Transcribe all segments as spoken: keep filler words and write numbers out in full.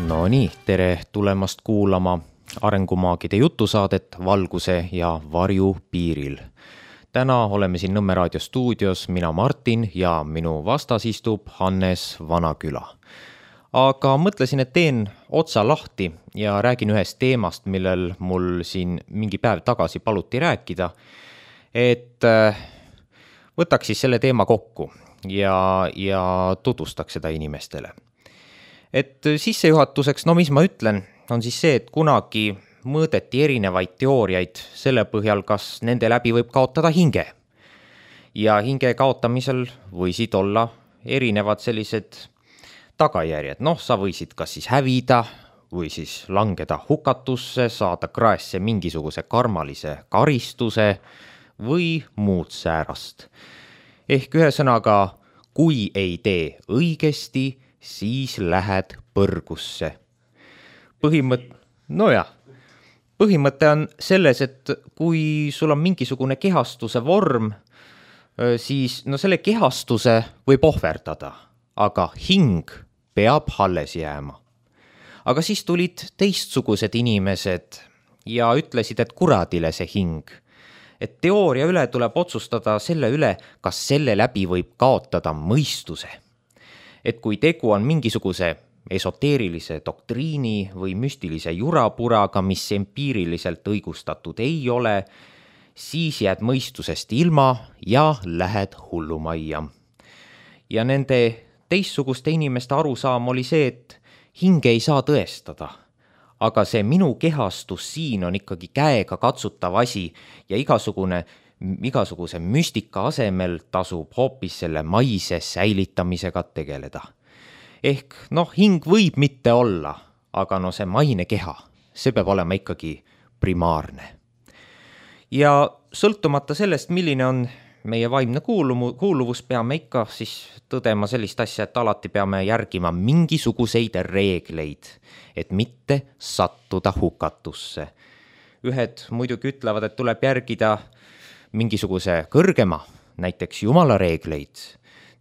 No nii, tere tulemast kuulama arengumaagide jutusaadet Valguse ja varju piiril. Täna oleme siin Nõmme raadio stuudios, mina Martin ja minu vastas istub Hannes Vanaküla. Aga mõtlesin, et teen otsa lahti ja räägin ühest teemast, millel mul siin mingi päev tagasi paluti rääkida, et võtaks siis selle teema kokku ja, ja tutvustaks seda inimestele. Et sissejuhatuseks, no mis ma ütlen, on siis see, et kunagi mõõdeti erinevaid teooriaid selle põhjal, kas nende läbi võib kaotada hinge. Ja hinge kaotamisel võisid olla erinevad sellised tagajärjed. Noh, sa võisid kas siis hävida või siis langeda hukatusse, saada kraesse mingisuguse karmalise karistuse või muud säärast. Ehk ühesõnaga, kui ei tee õigesti, siis lähed põrgusse. Põhimõte, no jah, põhimõte on selles, et kui sul on mingisugune kehastuse vorm, siis no selle kehastuse võib ohverdada, aga hing peab alles jääma. Aga siis tulid teistsugused inimesed ja ütlesid, et kuradile see hing. Et teooria üle tuleb otsustada selle üle, kas selle läbi võib kaotada mõistuse. Et kui tegu on mingisuguse esoteerilise doktriini või müstilise jurapuraga, mis empiiriliselt õigustatud ei ole, siis jääd mõistusest ilma ja lähed hullumajja. Ja nende teistsuguste inimeste arusaam oli see, et hinge ei saa tõestada, aga see minu kehastus siin on ikkagi käega katsutav asi ja igasugune igasuguse müstika asemel tasub hoopis selle maise säilitamisega tegeleda. Ehk noh, hing võib mitte olla, aga no see maine keha, see peab olema ikkagi primaarne. Ja sõltumata sellest, milline on meie vaimne kuuluvus, peame ikka siis tõdema sellist asja, et alati peame järgima mingisuguseid reegleid, et mitte sattuda hukatusse. Ühed muidugi ütlevad, et tuleb järgida mingisuguse kõrgema, näiteks jumala reegleid.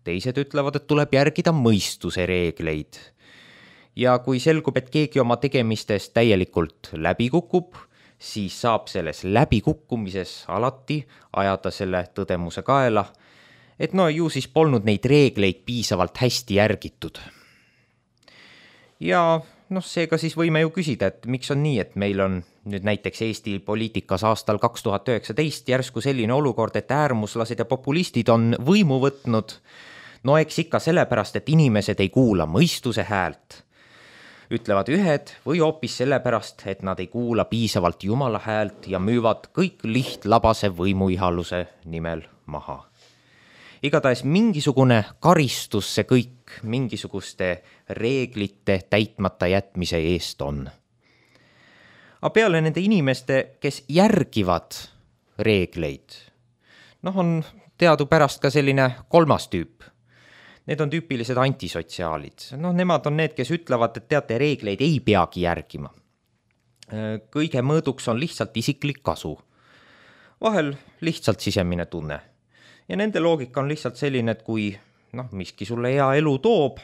Teised ütlevad, et tuleb järgida mõistuse reegleid. Ja kui selgub, et keegi oma tegemistest täielikult läbi kukub, siis saab selles läbikukkumises alati ajada selle tõdemuse kaela, et no ju siis polnud neid reegleid piisavalt hästi järgitud. Ja noh, seega siis võime ju küsida, et miks on nii, et meil on nüüd näiteks Eesti poliitikas aastal kaks tuhat üheksateist järsku selline olukord, et äärmuslased ja populistid on võimu võtnud. No eks ikka sellepärast, et inimesed ei kuula mõistuse häält, ütlevad ühed, või hoopis sellepärast, et nad ei kuula piisavalt jumala häält ja müüvad kõik lihtlabase võimuihaluse nimel maha. Igatahes mingisugune karistus see kõik mingisuguste reeglite täitmata jätmise eest on. Aga peale nende inimeste, kes järgivad reegleid, noh on teadupärast ka selline kolmas tüüp. Need on tüüpilised antisotsiaalid. Noh, nemad on need, kes ütlevad, et teate, reegleid ei peagi järgima. Kõige mõõduks on lihtsalt isiklik kasu. Vahel lihtsalt sisemine tunne. Ja nende loogika on lihtsalt selline, et kui noh, miski sulle hea elu toob,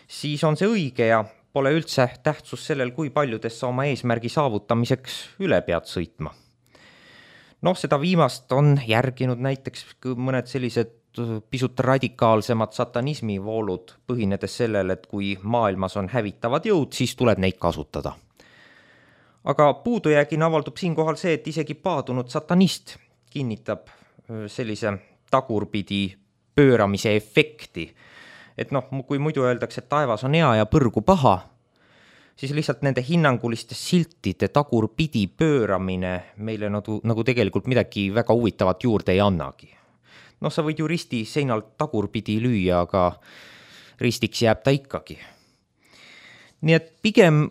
siis on see õige ja pole üldse tähtsus sellel, kui paljudest sa oma eesmärgi saavutamiseks üle pead sõitma. Noh, seda viimast on järginud näiteks mõned sellised pisut radikaalsemad satanismi voolud, põhinedes sellel, et kui maailmas on hävitavad jõud, siis tuleb neid kasutada. Aga puudujäägina avaldub siinkohal see, et isegi paadunud satanist kinnitab sellise tagurpidi pööramise efekti. Et noh, kui muidu öeldakse, et taevas on hea ja põrgu paha, siis lihtsalt nende hinnanguliste siltide tagurpidi pööramine meile nagu, nagu tegelikult midagi väga huvitavat juurde ei annagi. Noh, sa võid ju risti seinalt tagurpidi lüüa, aga ristiks jääb ta ikkagi. Nii et pigem,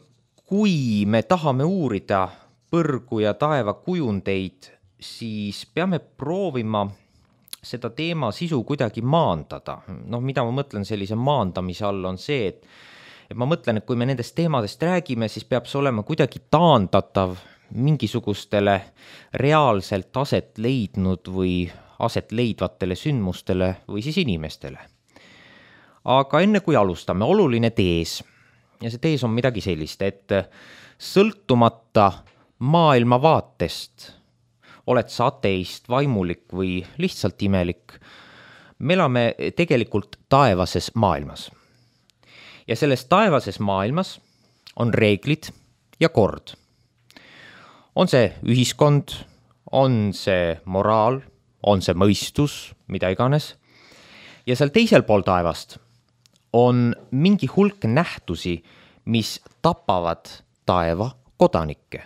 kui me tahame uurida põrgu ja taeva kujundeid, siis peame proovima seda teema sisu kuidagi maandada. Noh, mida ma mõtlen sellise maandamise all on see, et, et ma mõtlen, et kui me nendest teemadest räägime, siis peab see olema kuidagi taandatav mingisugustele reaalselt aset leidnud või aset leidvatele sündmustele või siis inimestele. Aga enne kui alustame, oluline tees. ja see tees on midagi sellist, et sõltumata maailmavaatest, oled sa ateist, vaimulik või lihtsalt imelik, me elame tegelikult taevases maailmas. Ja selles taevases maailmas on reeglid ja kord. On see ühiskond, on see moraal, on see mõistus, mida iganes. Ja seal teisel pool taevast on mingi hulk nähtusi, mis tapavad taeva kodanikke.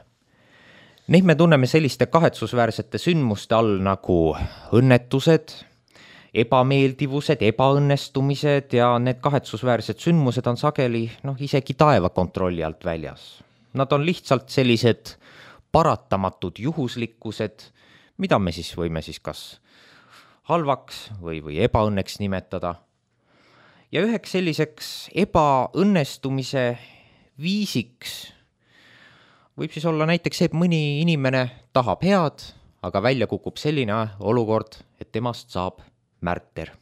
Neid me tunneme selliste kahetsusväärsete sündmuste all nagu õnnetused, ebameeldivused, ebaõnnestumised ja need kahetsusväärsed sündmused on sageli noh, isegi taeva kontrolli alt väljas. Nad on lihtsalt sellised paratamatud juhuslikkused, mida me siis võime siis kas halvaks või, või ebaõnneks nimetada. Ja üheks selliseks ebaõnnestumise viisiks võib siis olla näiteks see, et mõni inimene tahab head, aga välja kukub selline olukord, et temast saab märter.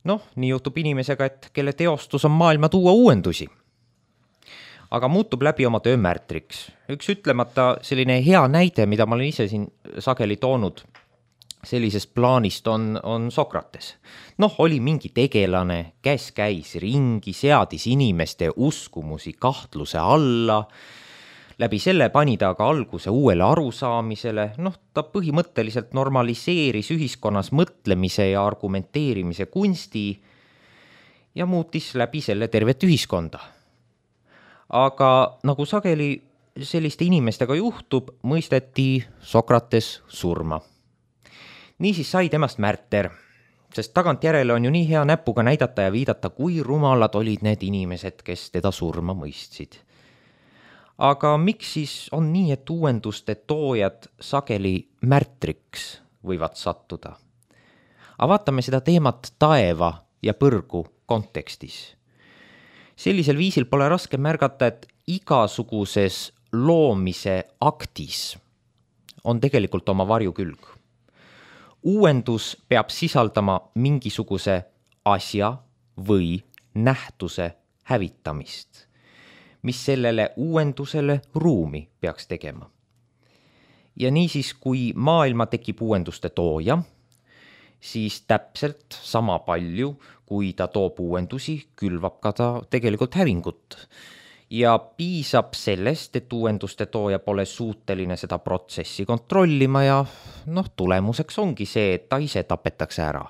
Noh, nii juhtub inimesega, et kelle teostus on maailma tuua uuendusi. Aga muutub läbi oma töö märtriks. Üks ütlemata selline hea näide, mida ma olen ise siin sageli toonud sellisest plaanist on, on Sokrates. Noh, oli mingi tegelane, kes käis ringi, seadis inimeste uskumusi kahtluse alla, läbi selle pani ta aga alguse uuele arusaamisele, noh, ta põhimõtteliselt normaliseeris ühiskonnas mõtlemise ja argumenteerimise kunsti ja muutis läbi selle tervet ühiskonda. Aga nagu sageli selliste inimestega juhtub, mõisteti Sokrates surma. Niisiis sai temast märter, sest tagantjärele on ju nii hea näpuga näidata ja viidata, kui rumalad olid need inimesed, kes teda surma mõistsid. Aga miks siis on nii, et uuenduste toojad sageli märtriks võivad sattuda? Aga vaatame seda teemat taeva ja põrgu kontekstis. Sellisel viisil pole raske märgata, et igasuguses loomise aktis on tegelikult oma varjukülg. Uuendus peab sisaldama mingisuguse asja või nähtuse hävitamist, mis sellele uuendusele ruumi peaks tegema. Ja niisiis, kui maailma tekib uuenduste tooja, siis täpselt sama palju, kui ta toob uuendusi, külvab ka ta tegelikult hävingut. Ja piisab sellest, et uuenduste tooja pole suuteline seda protsessi kontrollima ja noh, tulemuseks ongi see, et ta ise tapetakse ära.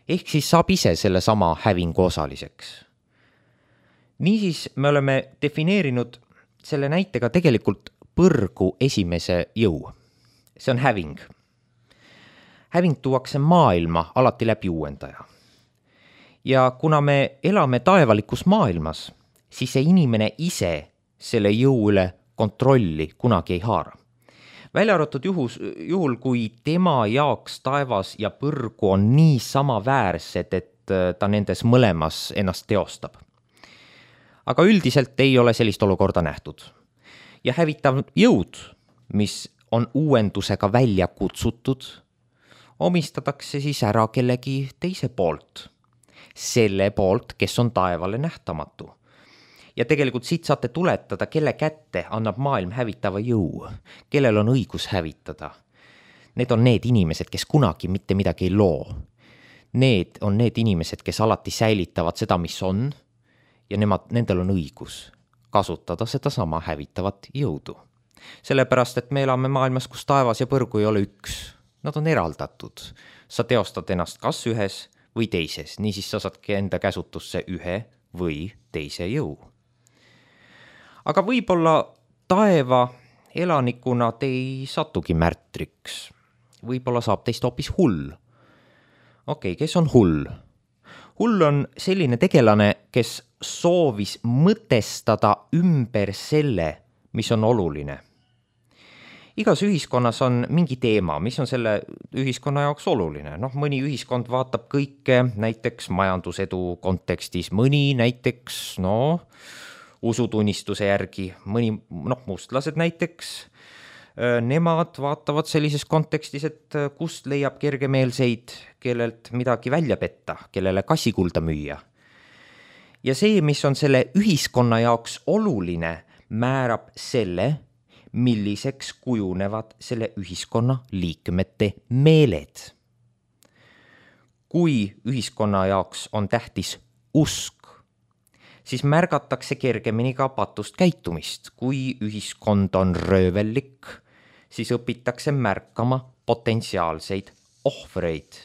Ehk siis saab ise selle sama hävingu osaliseks. Niisiis me oleme defineerinud selle näitega tegelikult põrgu esimese jõu. See on häving. Häving tuuakse maailma alati läbi uuendaja. Ja kuna me elame taevalikus maailmas, siis see inimene ise selle jõu üle kontrolli kunagi ei haara. Välja arvatud juhus, juhul, kui tema jaoks taevas ja põrgu on nii samaväärsed, et ta nendes mõlemas ennast teostab. Aga üldiselt ei ole sellist olukorda nähtud. Ja hävitav jõud, mis on uuendusega välja kutsutud, omistatakse siis ära kellegi teise poolt. Selle poolt, kes on taevale nähtamatu. Ja tegelikult siit saate tuletada, kelle kätte annab maailm hävitava jõu, kellel on õigus hävitada. Need on need inimesed, kes kunagi mitte midagi ei loo. Need on need inimesed, kes alati säilitavad seda, mis on, ja nemad, nendel on õigus kasutada seda sama hävitavat jõudu. Sellepärast, et me elame maailmas, kus taevas ja põrgu ei ole üks. Nad on eraldatud. Sa teostad ennast kas ühes või teises, niisiis sa saadki enda käsutusse ühe või teise jõu. Aga võib-olla taeva elanikuna te ei satugi märtriks. Võib-olla saab teist hoopis hull. Okei, kes on hull? Hull on selline tegelane, kes soovis mõtestada ümber selle, mis on oluline. Igas ühiskonnas on mingi teema, mis on selle ühiskonna jaoks oluline. Noh, mõni ühiskond vaatab kõike näiteks majandusedu kontekstis, mõni näiteks, noh, usutunnistuse järgi, mõni, noh, mustlased näiteks, nemad vaatavad sellises kontekstis, et kust leiab kergemeelseid, kellelt midagi välja petta, kellele kassikulda müüa. Ja see, mis on selle ühiskonna jaoks oluline, määrab selle, milliseks kujunevad selle ühiskonna liikmete meeled. Kui ühiskonna jaoks on tähtis usk, siis märgatakse kergemini ka patust käitumist. Kui ühiskond on röövellik, siis õpitakse märkama potentsiaalseid ohvreid.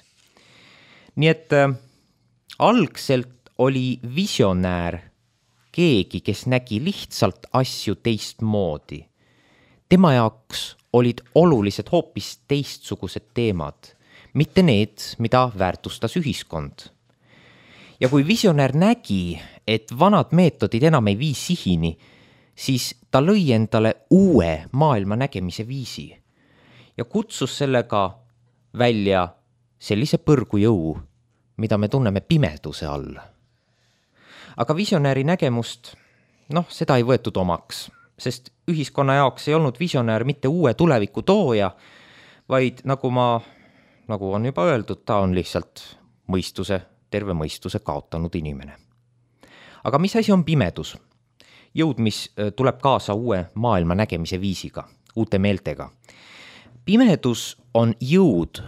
Nii et äh, algselt oli visionäär keegi, kes nägi lihtsalt asju teistmoodi. Tema jaoks olid olulised hoopis teistsugused teemad, mitte need, mida väärtustas ühiskond. Ja kui visionäär nägi, et vanad meetodid enam ei vii sihini, siis ta lõi endale uue maailma nägemise viisi ja kutsus sellega välja sellise põrgujõu, mida me tunneme pimeduse all. Aga visionääri nägemust, noh, seda ei võetud omaks, sest ühiskonna jaoks ei olnud visionäär mitte uue tuleviku tooja, vaid nagu ma, nagu on juba öeldud, ta on lihtsalt mõistuse, terve mõistuse kaotanud inimene. Aga mis asi on pimedus? Jõud, mis tuleb kaasa uue maailma nägemise viisiga, uute meeltega. Pimedus on jõud,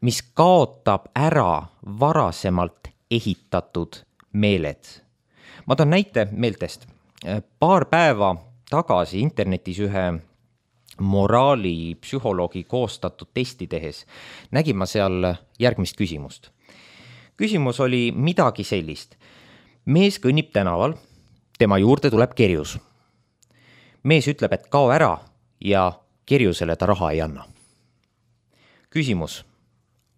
mis kaotab ära varasemalt ehitatud meeled. Ma toon näite meeltest. Paar päeva tagasi internetis ühe moraali psühholoogi koostatud testi tehes nägin ma seal järgmist küsimust. Küsimus oli midagi sellist. Mees kõnnib tänaval, tema juurde tuleb kerjus. Mees ütleb, et kao ära ja kerjusele ta raha ei anna. Küsimus,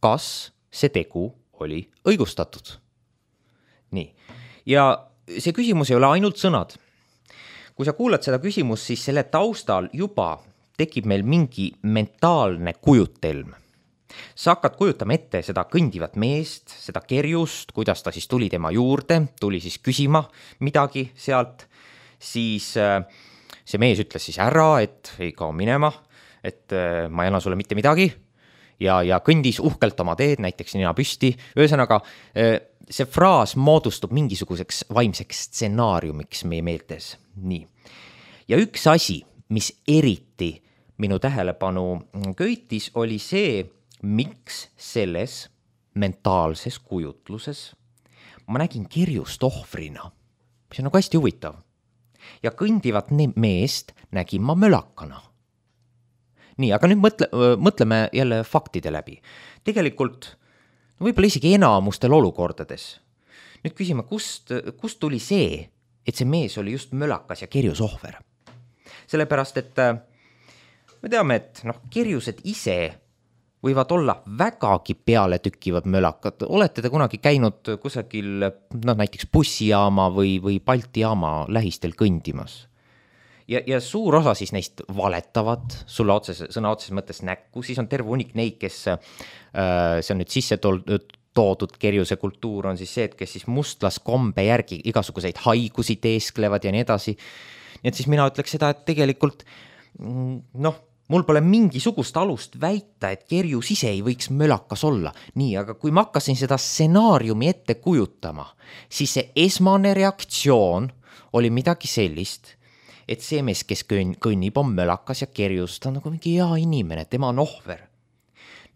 kas see tegu oli õigustatud? Nii. Ja see küsimus ei ole ainult sõnad. Kui sa kuulad seda küsimust, siis selle taustal juba tekib meil mingi mentaalne kujutelm. Sa hakkad kujutama ette seda kõndivat meest, seda kerjust, kuidas ta siis tuli tema juurde, tuli siis küsima midagi sealt, siis see mees ütles siis ära, et ei kao minema, et ma ei anna sulle mitte midagi ja, ja kõndis uhkelt oma teed, näiteks nina püsti. Ühesõnaga, see fraas moodustub mingisuguseks vaimseks stsenaariumiks meie meeltes. Nii. Ja üks asi, mis eriti minu tähelepanu köitis, oli see, miks selles mentaalses kujutluses ma nägin kerjust ohvrina, mis on nagu hästi huvitav. Ja kõndivat meest nägin ma mölakana. Nii, aga nüüd mõtle, mõtleme jälle faktide läbi. Tegelikult no võib-olla isegi enamustel olukordades. Nüüd küsime, kust, kust tuli see, et see mees oli just mölakas ja kerjus ohver. Sellepärast, et me teame, et noh, kerjused ise võivad olla vägagi peale tükkivad mölakad. Olete te kunagi käinud kusagil, no näiteks bussijaama või, või Balti jaama lähistel kõndimas? Ja, ja suur osa siis neist valetavad sulle otses, sõna otses mõttes näkku, siis on terve unik neid, kes äh, see on nüüd sisse toodud kerjuse kultuur, on siis see, et kes siis mustlaskombe järgi igasuguseid haigusi teesklevad ja nii edasi. Nii et siis mina ütleks seda, et tegelikult noh, mul pole mingisugust alust väita, et kerjus ise ei võiks mölakas olla. Nii, aga kui ma hakkasin seda stsenaariumi ette kujutama, siis see esmane reaktsioon oli midagi sellist, et see mees, kes kõnnib, on mölakas ja kerjus, ta on nagu mingi hea inimene, tema on ohver.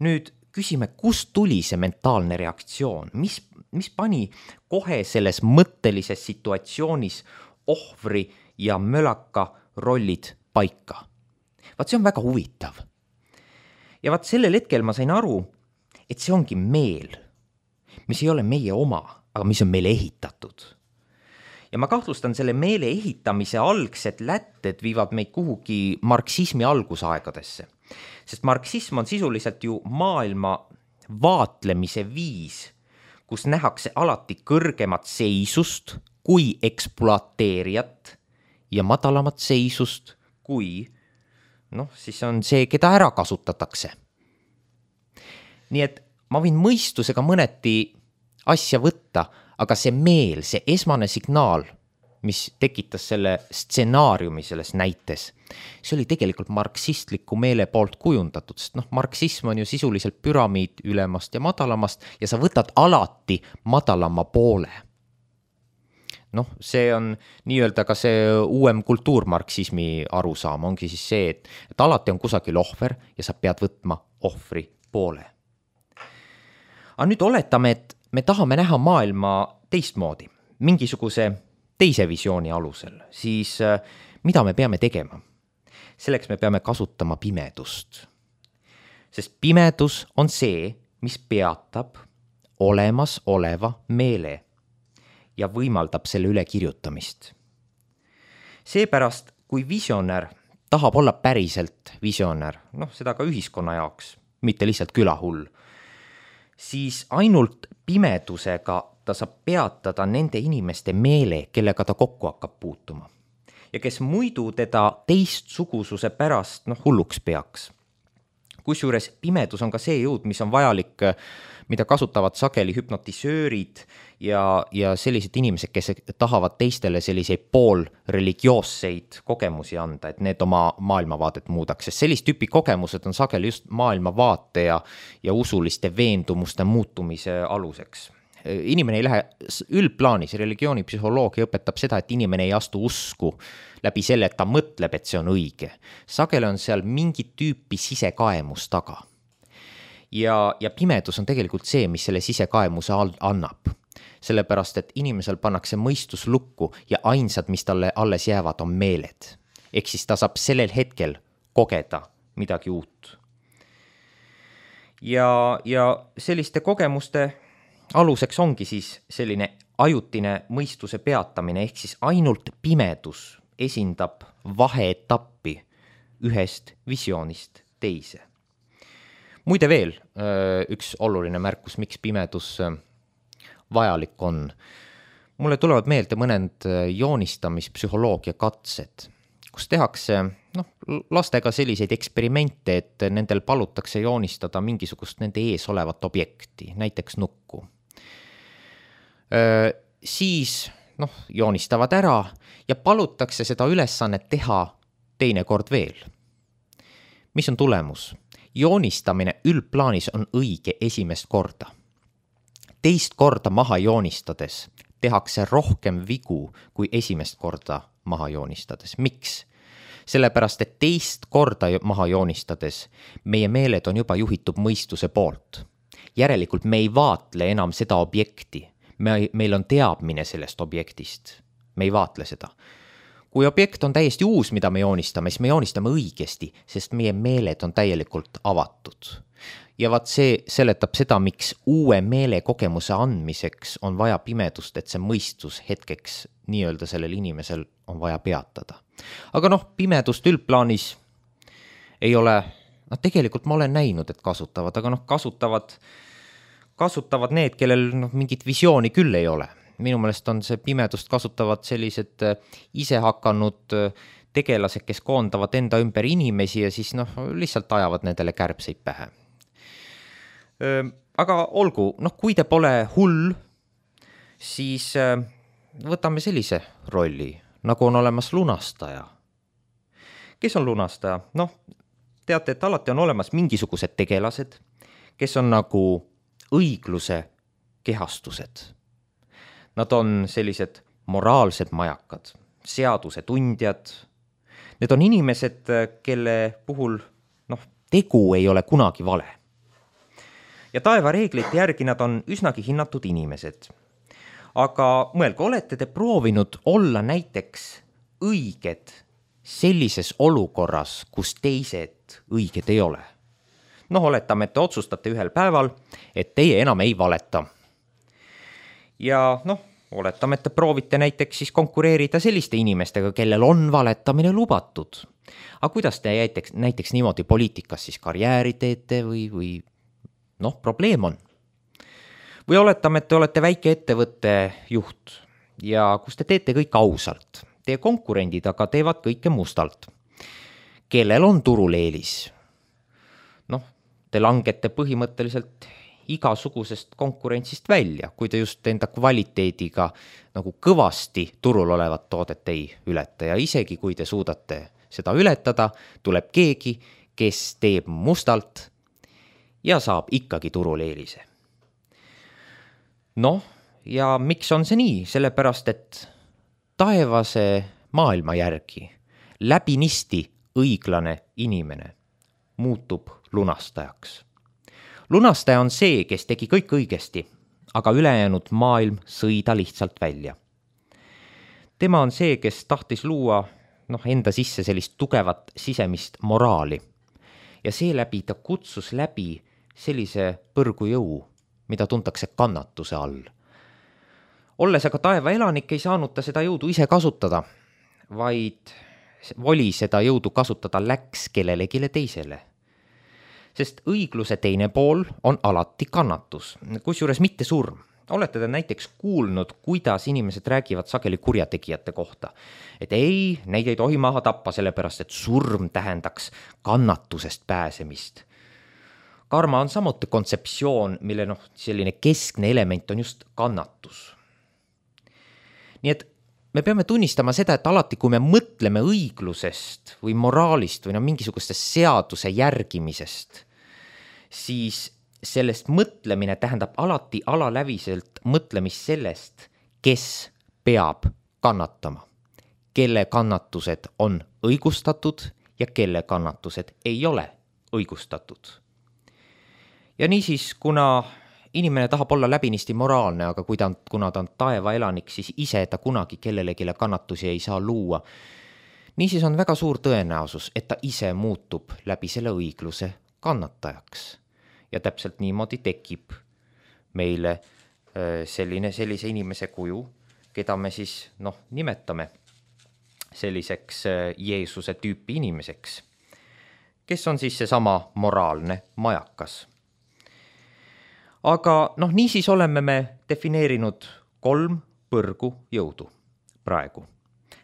Nüüd küsime, kust tuli see mentaalne reaktsioon? Mis, mis pani kohe selles mõttelises situatsioonis ohvri ja mölaka rollid paika? Vaat see on väga huvitav. Ja vaat sellel hetkel ma sain aru, et see ongi meel, mis ei ole meie oma, aga mis on meile ehitatud. Ja ma kahtlustan selle meele ehitamise algsed lätted viivad meid kuhugi marksismi algusaegadesse. Sest marksism on sisuliselt ju maailma vaatlemise viis, kus nähakse alati kõrgemat seisust kui ekspluateerijat ja madalamat seisust kui noh, siis on see, keda ära kasutatakse. Nii et ma võin mõistusega mõneti asja võtta, aga see meel, see esmane signaal, mis tekitas selle stsenaariumi selles näites, see oli tegelikult marksistliku meele poolt kujundatud, sest noh, marksism on ju sisuliselt püramiid ülemast ja madalamast ja sa võtad alati madalama poole. noh, see on nii-öelda ka see uuem kultuurmarksismi arusaam, ongi siis see, et, et alati on kusagil ohver ja sa pead võtma ohvri poole. Aga nüüd oletame, et me tahame näha maailma teistmoodi, mingisuguse teise visiooni alusel, siis mida me peame tegema? Selleks me peame kasutama pimedust. Sest pimedus on see, mis peatab olemas oleva meele ja võimaldab selle üle kirjutamist. Seepärast, kui visionär tahab olla päriselt visionär, noh, seda ka ühiskonna jaoks, mitte lihtsalt külahull, siis ainult pimedusega ta saab peatada nende inimeste meele, kellega ta kokku hakkab puutuma. Ja kes muidu teda teistsugususe pärast noh, hulluks peaks. Kusjuures pimedus on ka see jõud, mis on vajalik, mida kasutavad sageli hüpnotisöörid ja, ja sellised inimesed, kes tahavad teistele selliseid poolreligioosseid kogemusi anda, et need oma maailmavaadet muudaks. Sest sellist tüüpi kogemused on sageli just maailmavaate ja, ja usuliste veendumuste muutumise aluseks. Inimene ei lähe üldplaanis, religioonipsühholoogia õpetab seda, et inimene ei astu usku läbi selle, et ta mõtleb, et see on õige. Sageli on seal mingit tüüpi sisekaemus taga. Ja, ja pimedus on tegelikult see, mis selle sisekaemuse annab. Sellepärast, et inimesel pannakse mõistus lukku ja ainsad, mis talle alles jäävad, on meeled. Ehk siis ta saab sellel hetkel kogeda midagi uut. Ja, ja selliste kogemuste aluseks ongi siis selline ajutine mõistuse peatamine, ehk siis ainult pimedus esindab vaheetappi ühest visioonist teise. Muide veel üks oluline märkus, miks pimedus vajalik on. Mulle tulevad meelde mõned joonistamispsühholoogia katsed, kus tehakse noh, lastega selliseid eksperimente, et nendel palutakse joonistada mingisugust nende ees olevat objekti, näiteks nukku. Öö, siis noh, joonistavad ära ja palutakse seda ülesannet teha teine kord veel. Mis on tulemus? Joonistamine üldplaanis on õige esimest korda. Teist korda maha joonistades tehakse rohkem vigu kui esimest korda maha joonistades. Miks? Sellepärast, et teist korda maha joonistades meie meeled on juba juhitud mõistuse poolt. Järelikult me ei vaatle enam seda objekti. Me, meil on teadmine sellest objektist. Me ei vaatle seda. Kui objekt on täiesti uus, mida me joonistame, siis me joonistame õigesti, sest meie meeled on täielikult avatud. Ja vaat see seletab seda, miks uue meele kogemuse andmiseks on vaja pimedust, et see mõistus hetkeks nii-öelda sellel inimesel on vaja peatada. Aga noh, pimedust üldplaanis ei ole, noh tegelikult ma olen näinud, et kasutavad, aga noh, kasutavad kasutavad need, kellel noh, mingit visiooni küll ei ole. Minu meelest on see pimedust kasutavad sellised ise hakanud tegelased, kes koondavad enda ümber inimesi ja siis noh, lihtsalt ajavad nendele kärbseid pähe. Aga olgu, noh, kui te pole hull, siis võtame sellise rolli, nagu on olemas lunastaja. Kes on lunastaja? Noh, teate, et alati on olemas mingisugused tegelased, kes on nagu õigluse kehastused. Nad on sellised moraalsed majakad, seaduse tundjad. Need on inimesed, kelle puhul noh, tegu ei ole kunagi vale. Ja taeva reeglite järgi nad on üsnagi hinnatud inimesed. Aga mõelge, olete te proovinud olla näiteks õiged sellises olukorras, kus teised õiged ei ole? Noh, oletame, et te otsustate ühel päeval, et teie enam ei valeta. Ja noh, oletame, et te proovite näiteks siis konkureerida selliste inimestega, kellel on valetamine lubatud. Aga kuidas te näiteks, näiteks niimoodi poliitikas siis karjääri teete või, või noh, probleem on? Või oletame, et te olete väike ettevõtte juht ja kus te teete kõik ausalt. Teie konkurendid aga teevad kõike mustalt. Kellel on turul eelis? Noh, te langete põhimõtteliselt igasugusest konkurentsist välja, kui te just enda kvaliteediga nagu kõvasti turul olevat toodet ei ületa. Ja isegi kui te suudate seda ületada, tuleb keegi, kes teeb mustalt ja saab ikkagi turul eelise. Noh, ja miks on see nii? Sellepärast, et taevase maailma järgi läbinisti õiglane inimene muutub lunastajaks. Lunastaja on see, kes tegi kõik õigesti, aga ülejäänud maailm sõi ta lihtsalt välja. Tema on see, kes tahtis luua noh, enda sisse sellist tugevat sisemist moraali ja seeläbi ta kutsus läbi sellise põrgujõu, mida tuntakse kannatuse all. Olles aga taeva elanik, ei saanud ta seda jõudu ise kasutada, vaid voli seda jõudu kasutada läks kellelegi teisele. Sest õigluse teine pool on alati kannatus, kusjuures mitte surm. Olete te näiteks kuulnud, kuidas inimesed räägivad sageli kurjategijate kohta. Et ei, neid ei tohi maha tappa, sellepärast et surm tähendaks kannatusest pääsemist. Karma on samuti kontseptsioon, mille noh, selline keskne element on just kannatus. Nii et me peame tunnistama seda, et alati kui me mõtleme õiglusest või moraalist või no mingisugustest seaduse järgimisest, siis sellest mõtlemine tähendab alati alaläviselt mõtlemist sellest, kes peab kannatama, kelle kannatused on õigustatud ja kelle kannatused ei ole õigustatud. Ja niisiis, kuna inimene tahab olla läbinisti moraalne, aga kui ta on, kuna ta on taeva elanik, siis ise ta kunagi kellelegile kannatusi ei saa luua. Niisiis on väga suur tõenäosus, et ta ise muutub läbi selle õigluse kannatajaks. Ja täpselt niimoodi tekib meile selline, sellise inimese kuju, keda me siis noh, nimetame selliseks Jeesuse tüüpi inimeseks, kes on siis seesama moraalne majakas. Aga noh, niisiis oleme me defineerinud kolm põrgu jõudu praegu.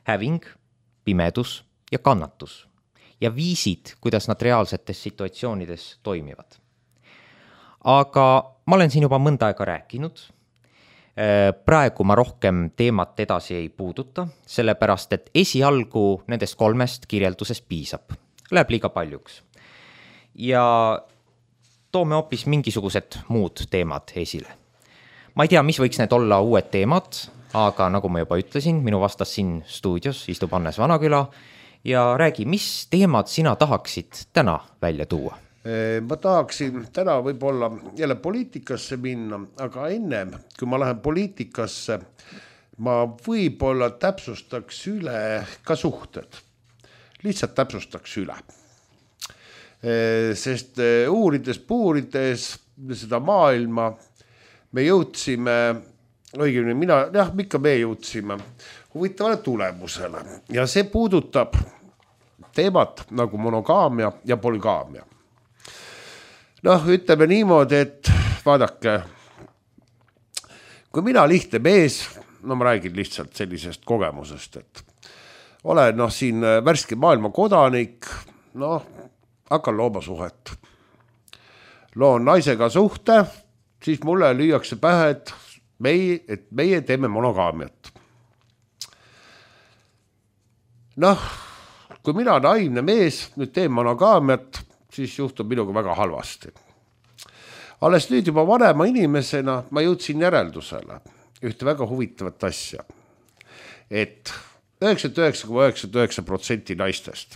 Häving, pimedus ja kannatus. Ja viisid, kuidas nad reaalsetes situatsioonides toimivad. Aga ma olen siin juba mõnda aega rääkinud. Praegu ma rohkem teemat edasi ei puuduta, sellepärast et esialgu nendest kolmest kirjeldusest piisab. Läheb liiga paljuks. Ja toome hoopis mingisugused muud teemad esile. Ma ei tea, mis võiks need olla uued teemad, aga nagu ma juba ütlesin, minu vastas siin stuudios istub Hannes Vanaküla ja räägi, mis teemad sina tahaksid täna välja tuua? Ma tahaksin täna võib-olla jälle poliitikasse minna, aga enne, kui ma lähen poliitikasse, ma võib-olla täpsustaks üle ka suhted. Lihtsalt täpsustaks üle. Sest uurides, puurides seda maailma, me jõudsime, õigemini mina, jah, mikka me jõudsime huvitavale tulemusele. Ja see puudutab teemat nagu monogaamia ja polügaamia. Noh, ütleme niimoodi, et vaadake, kui mina lihtne mees, no ma räägin lihtsalt sellisest kogemusest, et olen noh, siin värske maailma kodanik, noh, hakkan looma suhet. Loon naisega suhte, siis mulle lüüakse pähe, et meie, et meie teeme monogaamiat. Noh, kui mina naivne mees nüüd teen monogaamiat, siis juhtub minuga väga halvasti. Alles nüüd juba vanema inimesena ma jõudsin järeldusele ühte väga huvitavat asja, et üheksakümmend üheksa koma üheksakümmend üheksa protsenti naistest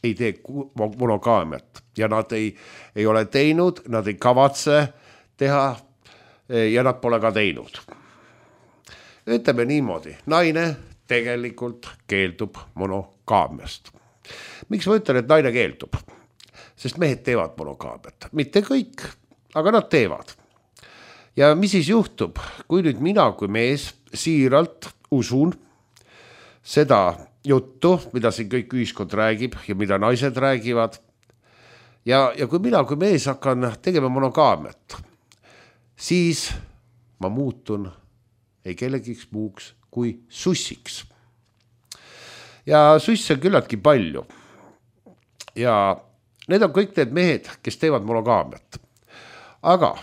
ei tee monogaamiat ja nad ei, ei ole teinud, nad ei kavatse teha ja nad pole ka teinud. Ütleme niimoodi, naine tegelikult keeldub monogaamiast. Miks ma ütlen, et naine keeldub? Sest mehed teevad monogaamiat. Mitte kõik, aga nad teevad. Ja mis siis juhtub, kui nüüd mina kui mees siiralt usun seda juttu, mida siin kõik ühiskond räägib ja mida naised räägivad. Ja, ja kui mina kui mees hakkan tegema monogaamiat, siis ma muutun ei kellegiks muuks kui sussiks. Ja susse on küllaltki palju. Ja need on kõik need mehed, kes teevad monogaamiat. Aga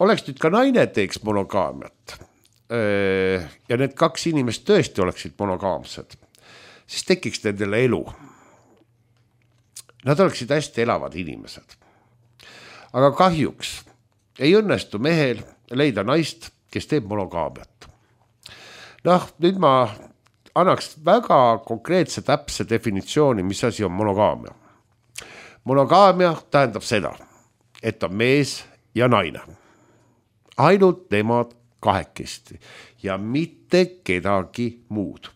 oleks nüüd ka naine teeks monogaamiat ja need kaks inimest tõesti oleksid monogaamsed, siis tekiks nendele elu. Nad oleksid hästi elavad inimesed. Aga kahjuks ei õnnestu mehel leida naist, kes teeb monogaamiat. Noh, nüüd ma annaks väga konkreetse täpse definitsiooni, mis asi on monogaamia. Monogaamia tähendab seda, et on mees ja naine. Ainult nemad kahekesti ja mitte kedagi muud.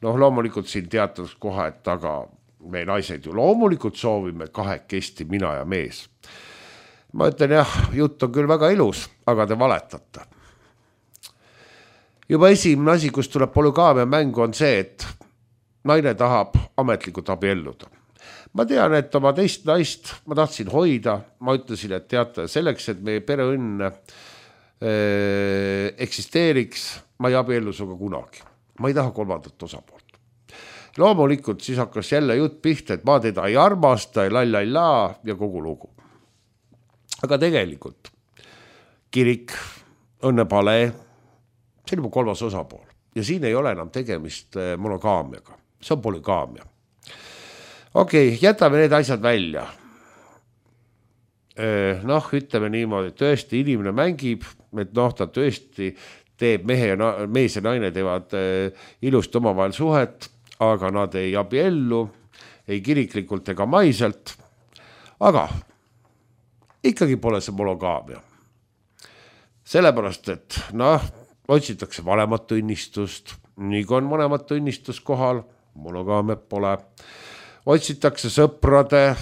Noh, loomulikult siin teatud koha, et taga me naised ju loomulikult soovime kahekesti, mina ja mees. Ma ütlen jah, jutt on küll väga ilus, aga te valetate. Juba esimene asi, kus tuleb polygaamia mängu, on see, et naine tahab ametlikult abielluda. Ma tean, et oma teist naist ma tahtsin hoida, ma ütlesin, et teate, selleks, et meie pereõnn äh, eksisteeriks, ma ei abiellu suga kunagi. Ma ei taha kolmandat osapoolt. Loomulikult siis hakkas jälle jutt pihta, et ma teda ei armasta, ei lallalla ja kogu lugu. Aga tegelikult kirik, õnnepalee, see on juba kolmas osapool ja siin ei ole enam tegemist monogaamiaga, see on polygaamia. Okei, okay, jätame need asjad välja. Noh, ütleme niimoodi, et tõesti inimene mängib, et noh, ta tõesti teeb mehe ja na- mees ja naine teevad ilusti omavahel suhet, aga nad ei abiellu, ei kiriklikult ega maiselt. Aga ikkagi pole see monogaamia. Sellepärast, et noh, otsitakse vanemat õnnistust, nii kui on vanemat õnnistus kohal, monogaamiat pole. Otsitakse sõprade,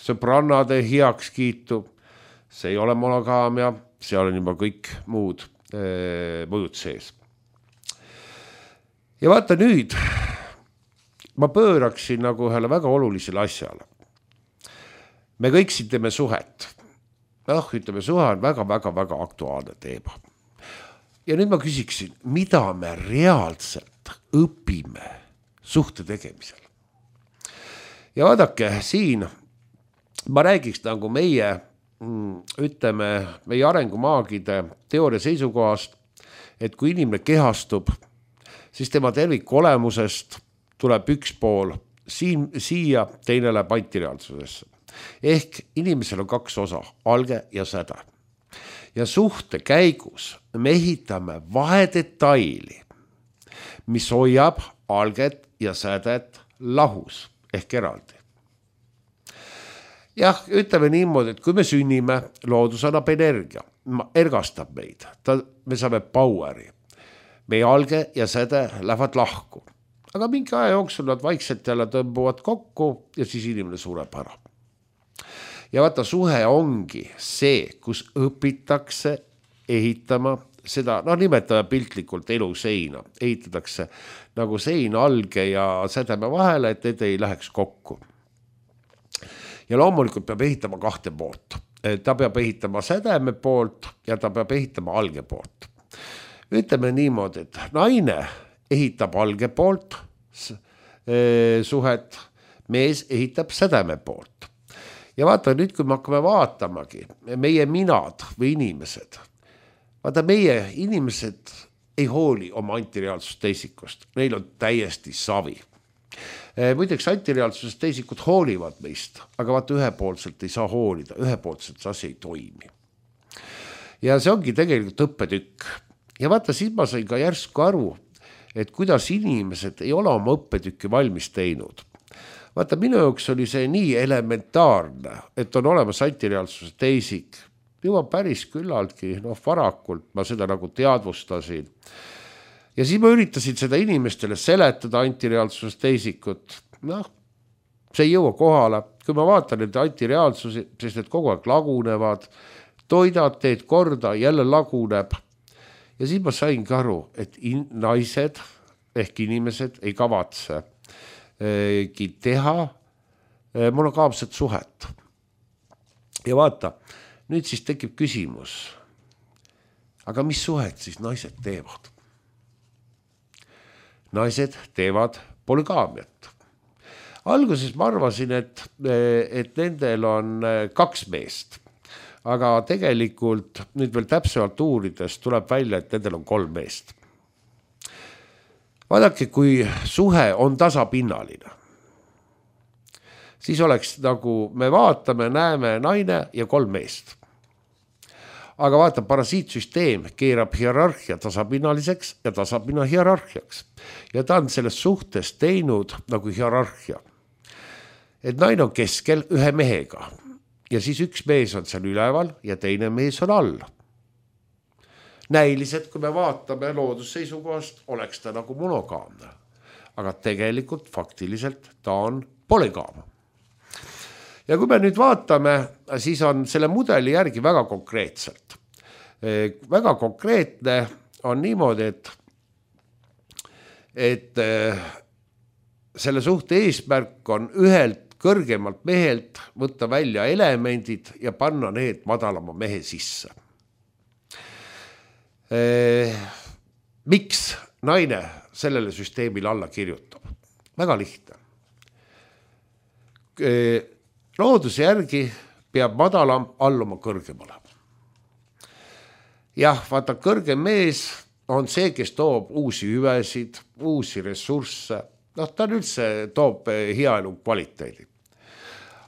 sõbrannade heaks kiitu, see ei ole monogaamia, see on juba kõik muud mõjud sees. Ja vaata nüüd, ma pööraksin nagu ühele väga olulisele asjale. Me kõik siin teeme suhet. noh, ütleme, suhe on väga-väga-väga aktuaalne teema. Ja nüüd ma küsiksin, mida me reaalselt õpime suhte tegemisel? Ja vaadake, siin ma räägiks nagu meie, ütleme, meie arengumaagide teooria seisukohast, et kui inimene kehastub, siis tema terviku olemusest tuleb üks pool siin, siia, teine läheb antireaalsusesse. Ehk inimesel on kaks osa, alge ja säde. Ja suhte käigus me ehitame vahedetaili, mis hoiab alget ja sädet lahus ehk eraldi. Jah, ütleme niimoodi, et kui me sünnime, loodus annab energia, ergastab meid, ta, me saame poweri. Meie alge ja säde lähevad lahku. Aga mingi aja jooksul nad vaikselt jälle tõmbuvad kokku ja siis inimene sureb ära. Ja vaata, suhe ongi see, kus õpitakse ehitama seda, noh nimetame piltlikult eluseina, ehitatakse nagu sein alge ja sädeme vahele, et need ei läheks kokku. Ja loomulikult peab ehitama kahte poolt. Ta peab ehitama sädeme poolt ja ta peab ehitama alge poolt. Ütleme niimoodi, et naine ehitab alge poolt suhet, mees ehitab sädeme poolt. Ja vaata nüüd, kui me hakkame vaatamagi, meie minad või inimesed, vaata meie inimesed ei hooli oma antireaalsust teisikust, neil on täiesti savi. Muideks antireaalsusest teisikud hoolivad meist, aga vaata ühepoolselt ei saa hoolida, ühepoolselt see asi ei toimi. Ja see ongi tegelikult õppetükk. Ja vaata, siis ma sain ka järsku aru, et kuidas inimesed ei ole oma õppetükki valmis teinud. Vaata, minu jaoks oli see nii elementaarne, et on olemas antireaalsuse teisik. Juba päris küllaltki, noh varakult ma seda nagu teadvustasin. Ja siis ma üritasin seda inimestele seletada antireaalsuse teisikut. Noh, see ei jõua kohale. Kui ma vaatan nende antireaalsusi, sest need kogu aeg lagunevad, toidad, teed korda, jälle laguneb. Ja siis ma sain ka aru, et in- naised ehk inimesed ei kavatse teha monogaamset suhet. Ja vaata, nüüd siis tekib küsimus, aga mis suhet siis naised teevad? Naised teevad polygaamiat. Alguses ma arvasin, et, et nendel on kaks meest, aga tegelikult nüüd veel täpsemalt uurides tuleb välja, et nendel on kolm meest. Vaadake, kui suhe on tasapinnaline, siis oleks nagu me vaatame, näeme naine ja kolm meest. aga vaata, parasiitsüsteem keerab hierarhia tasapinnaliseks ja tasapinna hierarhiaks. Ja ta on selles suhtes teinud nagu hierarhia. Et naine on keskel ühe mehega ja siis üks mees on seal üleval ja teine mees on all. Näiliselt, kui me vaatame loodusseisukohast, oleks ta nagu monogaamne. Aga tegelikult faktiliselt ta on polygaam. Ja kui me nüüd vaatame, siis on selle mudeli järgi väga konkreetselt. Väga konkreetne on niimoodi, et, et selle suhte eesmärk on ühelt kõrgemalt mehelt võtta välja elemendid ja panna need madalama mehe sisse. Miks naine sellele süsteemile alla kirjutab? Väga lihtne. Looduse järgi peab madalam alluma kõrgemale. Jah, vaata, kõrgem mees on see, kes toob uusi hüvesid, uusi ressursse. Noh, ta üldse toob hea elu kvaliteedi.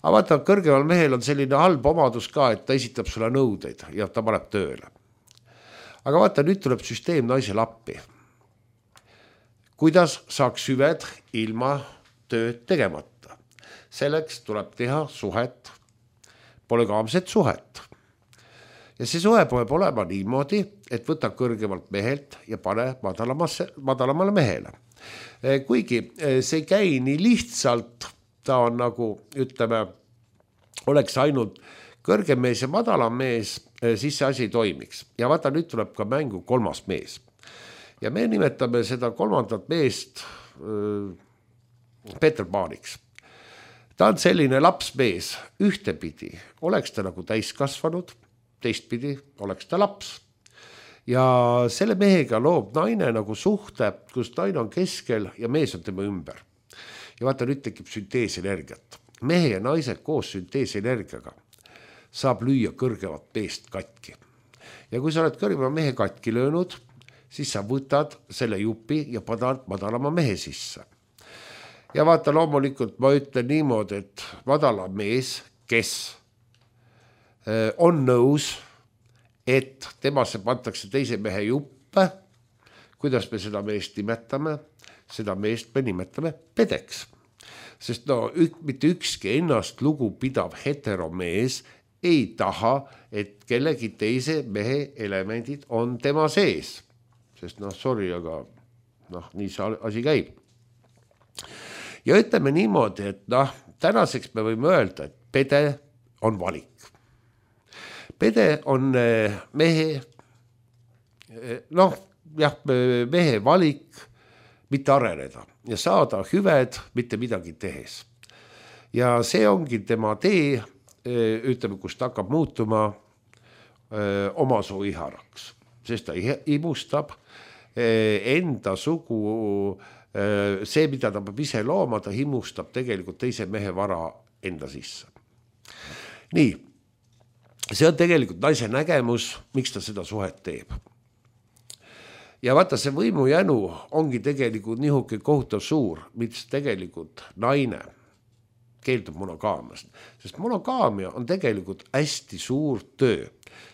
Aga vaata, kõrgemal mehel on selline halb omadus ka, et ta esitab sulle nõudeid ja ta paneb tööle. Aga vaata, nüüd tuleb süsteem naisele appi. Kuidas saaks hüved ilma tööd tegemata? Selleks tuleb teha suhet, polygaamset suhet. Ja see suhe peab olema niimoodi, et võta kõrgemalt mehelt ja pane madalamale mehele. Kuigi see ei käi nii lihtsalt, ta on nagu, ütleme, oleks ainult kõrgem mees ja madalam mees, siis see asi toimiks. Ja vaata, nüüd tuleb ka mängu kolmas mees. Ja me nimetame seda kolmandat meest Peter Paaniks. Ta on selline lapsmees, ühtepidi oleks ta nagu täiskasvanud, teistpidi oleks ta laps. Ja selle mehega loob naine nagu suhte, kus naine on keskel ja mees on tema ümber. Ja vaata, nüüd tekib sünteesenergiat. Mehe ja naise koos sünteesenergiaga saab lüüa kõrgevat meest katki. Ja kui sa oled kõrgema mehe katki löönud, siis sa võtad selle jupi ja panad madalama mehe sisse. Ja vaata, loomulikult ma ütlen niimoodi, et madala mees, kes on nõus, et temasse pantakse teise mehe juppe, kuidas me seda meest nimetame, seda meest me nimetame pedeks. Sest no ük, mitte ükski ennast lugu pidav heteromees ei taha, et kellegi teise mehe elemendid on tema sees. Sest noh, sorry, aga noh, nii see asi käib. Ja ütleme niimoodi, et noh, tänaseks me võime öelda, et pede on valik. Pede on mehe, noh, jah, mehe valik mitte areneda ja saada hüved mitte midagi tehes. Ja see ongi tema tee, ütleme, kus ta hakkab muutuma oma soo iharaks, sest ta imustab enda sugu. See, mida ta peab ise looma, ta himustab tegelikult teise mehe vara enda sisse. Nii, see on tegelikult naise nägemus, miks ta seda suhet teeb. Ja vaata, see võimu jänu ongi tegelikult nihuke kohutav suur, mis tegelikult naine keeldub monogaamiast. Sest monogaamia on tegelikult hästi suur töö.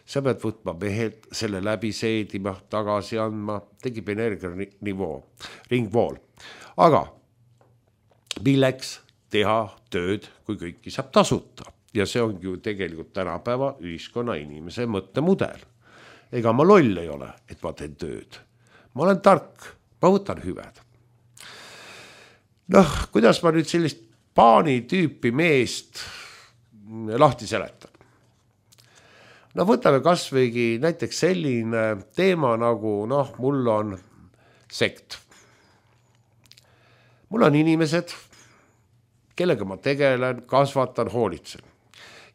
Sa pead võtma mehelt, selle läbi seedima, tagasi andma, tegib energia nivoo, ringvool. Aga milleks teha tööd, kui kõiki saab tasuta? Ja see ongi ju tegelikult tänapäeva ühiskonna inimese mõttemudel. Ega ma loll ei ole, et ma teen tööd. Ma olen tark, ma võtan hüved. Noh, kuidas ma nüüd sellist paani tüüpi meest lahti seletan? No võtame kas võigi näiteks selline teema nagu, noh, mul on sekt. Mul on inimesed, kellega ma tegelen, kasvatan, hoolitsen.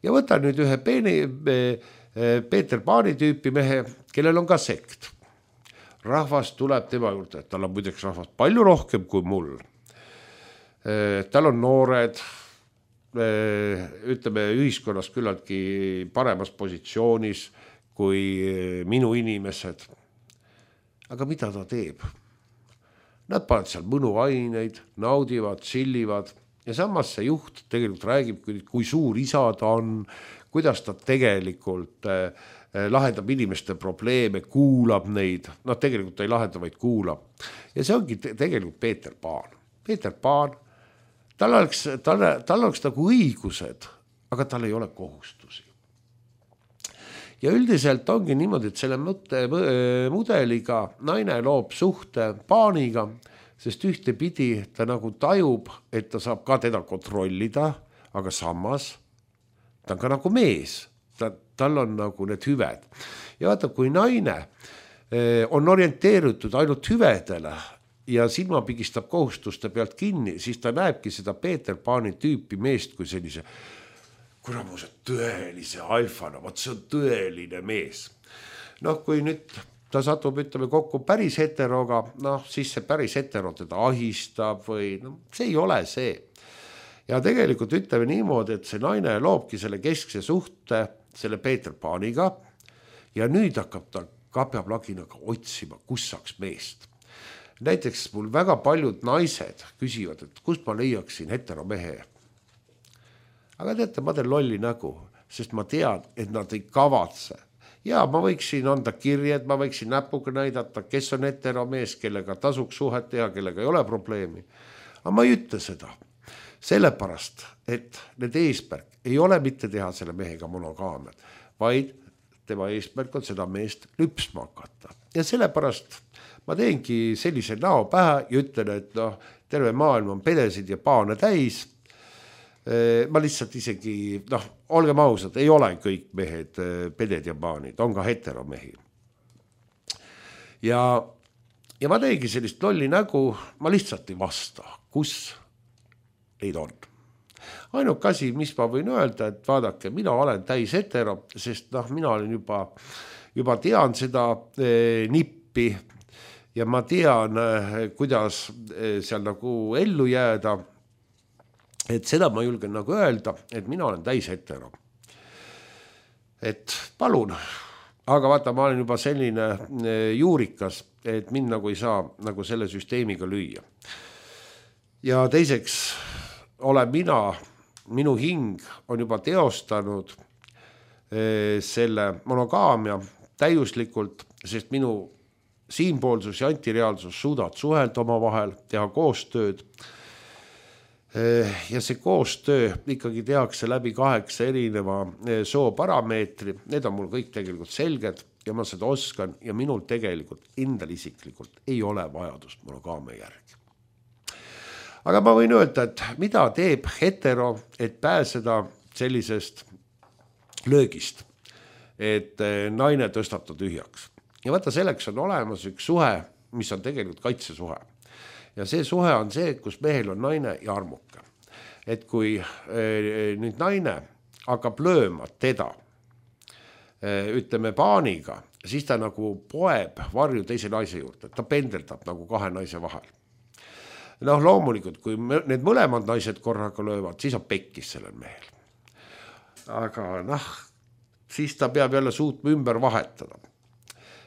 Ja võtan nüüd ühe peeni, Peeter Paani tüüpi mehe, kellel on ka sekt. Rahvas tuleb tema juurde, et tal on muideks rahvas palju rohkem kui mul. Tal on noored, ütleme, ühiskonnas küllaltki paremas positsioonis kui minu inimesed. Aga mida ta teeb? Nad panevad seal mõnuaineid, naudivad, sillivad ja samas see juht tegelikult räägib, kui suur isa ta on, kuidas ta tegelikult lahendab inimeste probleeme, kuulab neid, noh tegelikult ta ei lahenda, vaid kuulab. Ja see ongi te- tegelikult Peeter Paan. Peeter Paan, tal oleks, tal, tal oleks nagu õigused, aga tal ei ole kohustusi. Ja üldiselt ongi niimoodi, et selle mõtte, mudeliga naine loob suhte Paaniga, sest ühte pidi ta nagu tajub, et ta saab ka teda kontrollida, aga samas ta on ka nagu mees, ta, tal on nagu need hüved. Ja vaata, kui naine on orienteeritud ainult hüvedele ja silma pigistab kohustuste pealt kinni, siis ta näebki seda Peeter Paani tüüpi meest kui sellise kuramuse tõelise alfana, vaat see on tõeline mees. Noh, kui nüüd ta satub, ütleme, kokku päris heteroga, noh, siis see päris hetero teda ahistab või no, see ei ole see. Ja tegelikult ütleme niimoodi, et see naine loobki selle keskse suhte selle Peeter Paaniga ja nüüd hakkab ta kapjaplaginaga otsima, kus saaks meest. Näiteks mul väga paljud naised küsivad, et kus ma leiaksin heteromehe. Aga teate, ma teen lolli nägu, sest ma tean, et nad ei kavatse. Ja ma võiksin anda kirjed, ma võiksin näpuga näidata, kes on heteromees, kellega tasuks suhet teha, kellega ei ole probleemi. Aga ma ei ütle seda. Sellepärast, et need eesmärk ei ole mitte teha selle mehega monogaamiat, vaid tema eesmärk on seda meest lüpsma hakata. Ja sellepärast ma teengi sellise näo pähe ja ütlen, et no, terve maailm on pedesid ja paane täis. Ma lihtsalt isegi, noh, olgem ausad, ei ole kõik mehed peded ja paanid, on ka heteromehi. Ja, ja ma teegi sellist lolli nägu, ma lihtsalt ei vasta, kus neid on. Ainuke asi, mis ma võin öelda, et vaadake, mina olen täis hetero, sest noh, mina olen juba, juba tean seda eh, nippi ja ma tean, eh, kuidas eh, seal nagu ellu jääda. Et seda ma julgen nagu öelda, et mina olen täis hetero. Et palun, aga vaata, ma olen juba selline juurikas, et mind nagu ei saa nagu selle süsteemiga lüüa. Ja teiseks olen mina, minu hing on juba teostanud selle monogaamia täiuslikult, sest minu siinpoolsus ja antireaalsus suudavad suhelda oma vahel, teha koostööd. Ja see koostöö ikkagi tehakse läbi kaheksa erineva soo parameetri. Need on mul kõik tegelikult selged ja ma seda oskan ja minul tegelikult endal isiklikult ei ole vajadust monogaamia järgi. Aga ma võin öelda, et mida teeb hetero, et pääseda sellisest löögist, et naine tõstab ta tühjaks. Ja vaata, selleks on olemas üks suhe, mis on tegelikult kaitsesuhe. Ja see suhe on see, kus mehel on naine ja armuke. Et kui e, nüüd naine hakkab lööma teda, e, ütleme paaniga, siis ta nagu poeb varju teise naise juurde. Ta pendeldab nagu kahe naise vahel. Noh, loomulikult, kui need mõlemad naised korraga löövad, siis on pekkis sellel mehel. Aga noh, siis ta peab jälle suutma ümber vahetada.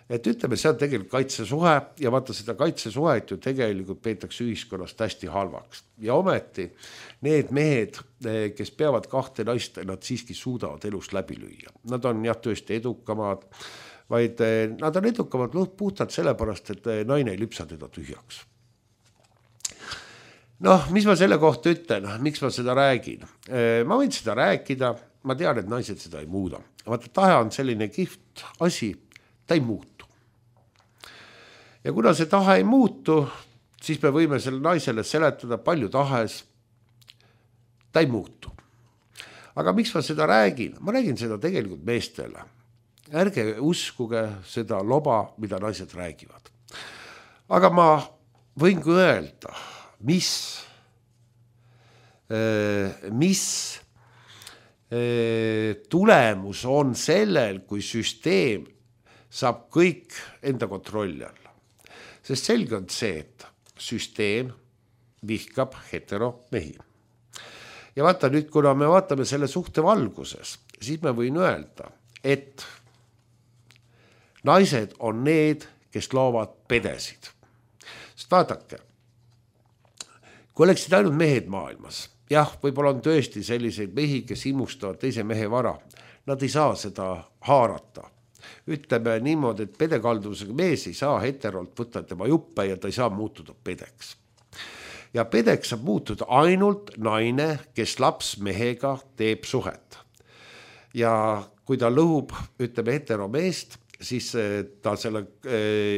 Et ütleme, see on tegelikult kaitsesuhe ja vaata seda kaitsesuhet ju tegelikult peetakse ühiskonnast hästi halvaks. Ja ometi need mehed, kes peavad kahte naist, nad siiski suudavad elust läbi lüüa. Nad on jah tõesti edukamad, vaid nad on edukamad puhtalt sellepärast, et naine ei lüpsa teda tühjaks. Noh, mis ma selle kohta ütlen, miks ma seda räägin? Ma võin seda rääkida, ma tean, et naised seda ei muuda. Vaata, tahe on selline kihvt asi, ta ei muutu. Ja kuna see tahe ei muutu, siis me võime selle naisele seletada palju tahes, ta ei muutu. Aga miks ma seda räägin? Ma räägin seda tegelikult meestele. Ärge uskuge seda loba, mida naised räägivad. Aga ma võin ka öelda, mis, mis tulemus on sellel, kui süsteem saab kõik enda kontrolli alla. Sest selge on see, et süsteem vihkab hetero mehi. Ja vaata nüüd, kuna me vaatame selle suhte valguses, siis me võin öelda, et naised on need, kes loovad pedesid. Sest vaadake, kui oleksid ainult mehed maailmas, jah, võib-olla on tõesti selliseid mehi, kes imustavad teise mehe vara, nad ei saa seda haarata. ütleme niimoodi, et pedekalduvusega mees ei saa heterolt võtta tema juppe ja ta ei saa muutuda pedeks. Ja pedeks saab muutuda ainult naine, kes laps mehega teeb suhet. Ja kui ta lõhub, ütleme heteromeest, siis ta selle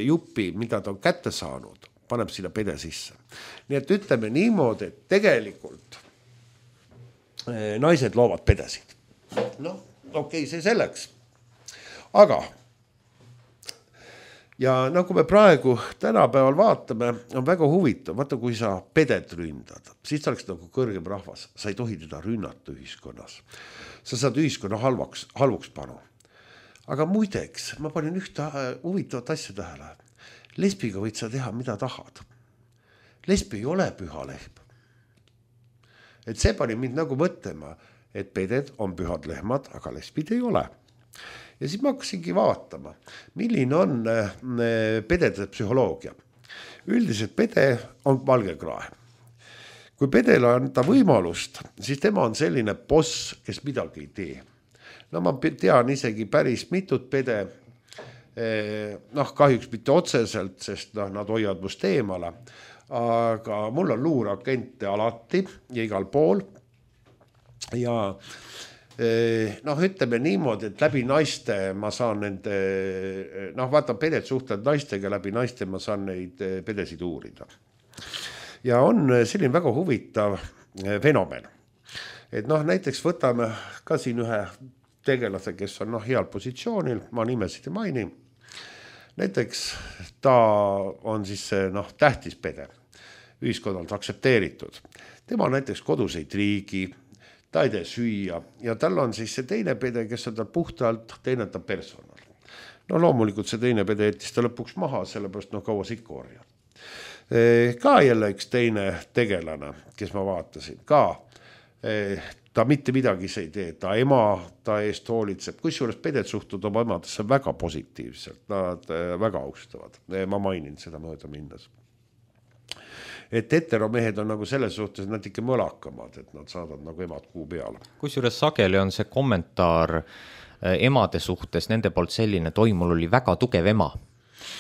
jupi, mida ta on kätte saanud, paneb sinna pede sisse. Nii et ütleme niimoodi, et tegelikult naised loovad pedesid. No, okei, okay, see selleks. Aga, ja nagu me praegu tänapäeval vaatame, on väga huvitav, vaata kui sa pedet ründad, siis ta oleks nagu kõrgem rahvas, sa ei tohi teda rünnata ühiskonnas. Sa saad ühiskonna halvaks, halvuks panu. Aga muideks, ma panin ühte huvitavat asja tähele. Lesbiga võid sa teha, mida tahad. Lesbi ei ole püha lehm. Et see pani mind nagu mõtlema, et peded on pühad lehmad, aga lesbid ei ole. Ja siis ma hakkasingi vaatama, milline on pedede psühholoogia. Üldiselt pede on valgekrae. Kui pedele anda võimalust, siis tema on selline boss, kes midagi ei tee. No ma tean isegi päris mitut pede, noh kahjuks mitte otseselt, sest no, nad hoiavad must eemale, aga mul on luurakente alati ja igal pool ja noh, ütleme niimoodi, et läbi naiste ma saan nende, noh vaata peded suhtlevad naistega, läbi naiste ma saan neid pedesid uurida. Ja on selline väga huvitav fenomen. Et noh, näiteks võtame ka siin ühe tegelase, kes on noh, heal positsioonil, ma nimesid ei maini. Näiteks ta on siis noh, tähtis pede, ühiskonnalt aksepteeritud. Tema näiteks kodus ei triigi, ta ei tee süüa ja tal on siis see teine pede, kes on tal puhtalt, teine ta personal. No loomulikult see teine pede jättis ta lõpuks maha, sellepärast no kaua sikku orja. Ka jälle üks teine tegelane, kes ma vaatasin, ka ta mitte midagi see ei tee, ta ema ta eest hoolitseb, kusjuures peded suhtud oma emadesse väga positiivselt, nad väga austavad, ma mainin seda mööda minnes. Et heteromehed on nagu selles suhtes nad ikka mõlakamad, et nad saadavad nagu emad kuu peale. Kusjuures sageli on see kommentaar emade suhtes, nende poolt selline, toi mul oli väga tugev ema.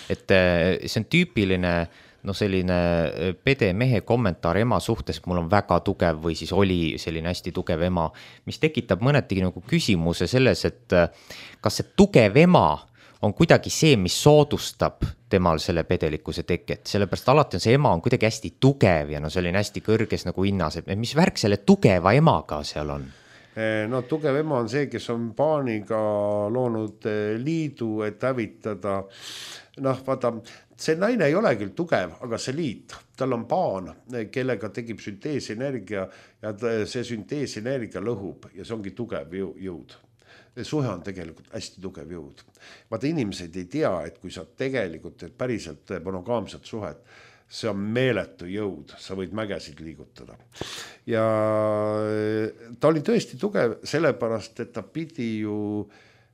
Et see on tüüpiline no selline pede mehe kommentaar ema suhtes, mul on väga tugev või siis oli selline hästi tugev ema, mis tekitab mõnetigi nagu küsimuse selles, et kas see tugev ema on kuidagi see, mis soodustab temal selle pedelikkuse teket, sellepärast alati on see ema on kuidagi hästi tugev ja no selline hästi kõrges nagu hinnas, et mis värk selle tugeva emaga seal on? No tugev ema on see, kes on paaniga loonud liidu, et hävitada. Noh, vaata, see naine ei ole küll tugev, aga see liit, tal on paan, kellega tegib sünteesenergia ja see sünteesenergia lõhub ja see ongi tugev jõud. Suhe on tegelikult hästi tugev jõud. Vaata, inimesed ei tea, et kui sa tegelikult et päriselt monogaamset suhet, see on meeletu jõud, sa võid mägesid liigutada. Ja ta oli tõesti tugev sellepärast, et ta pidi ju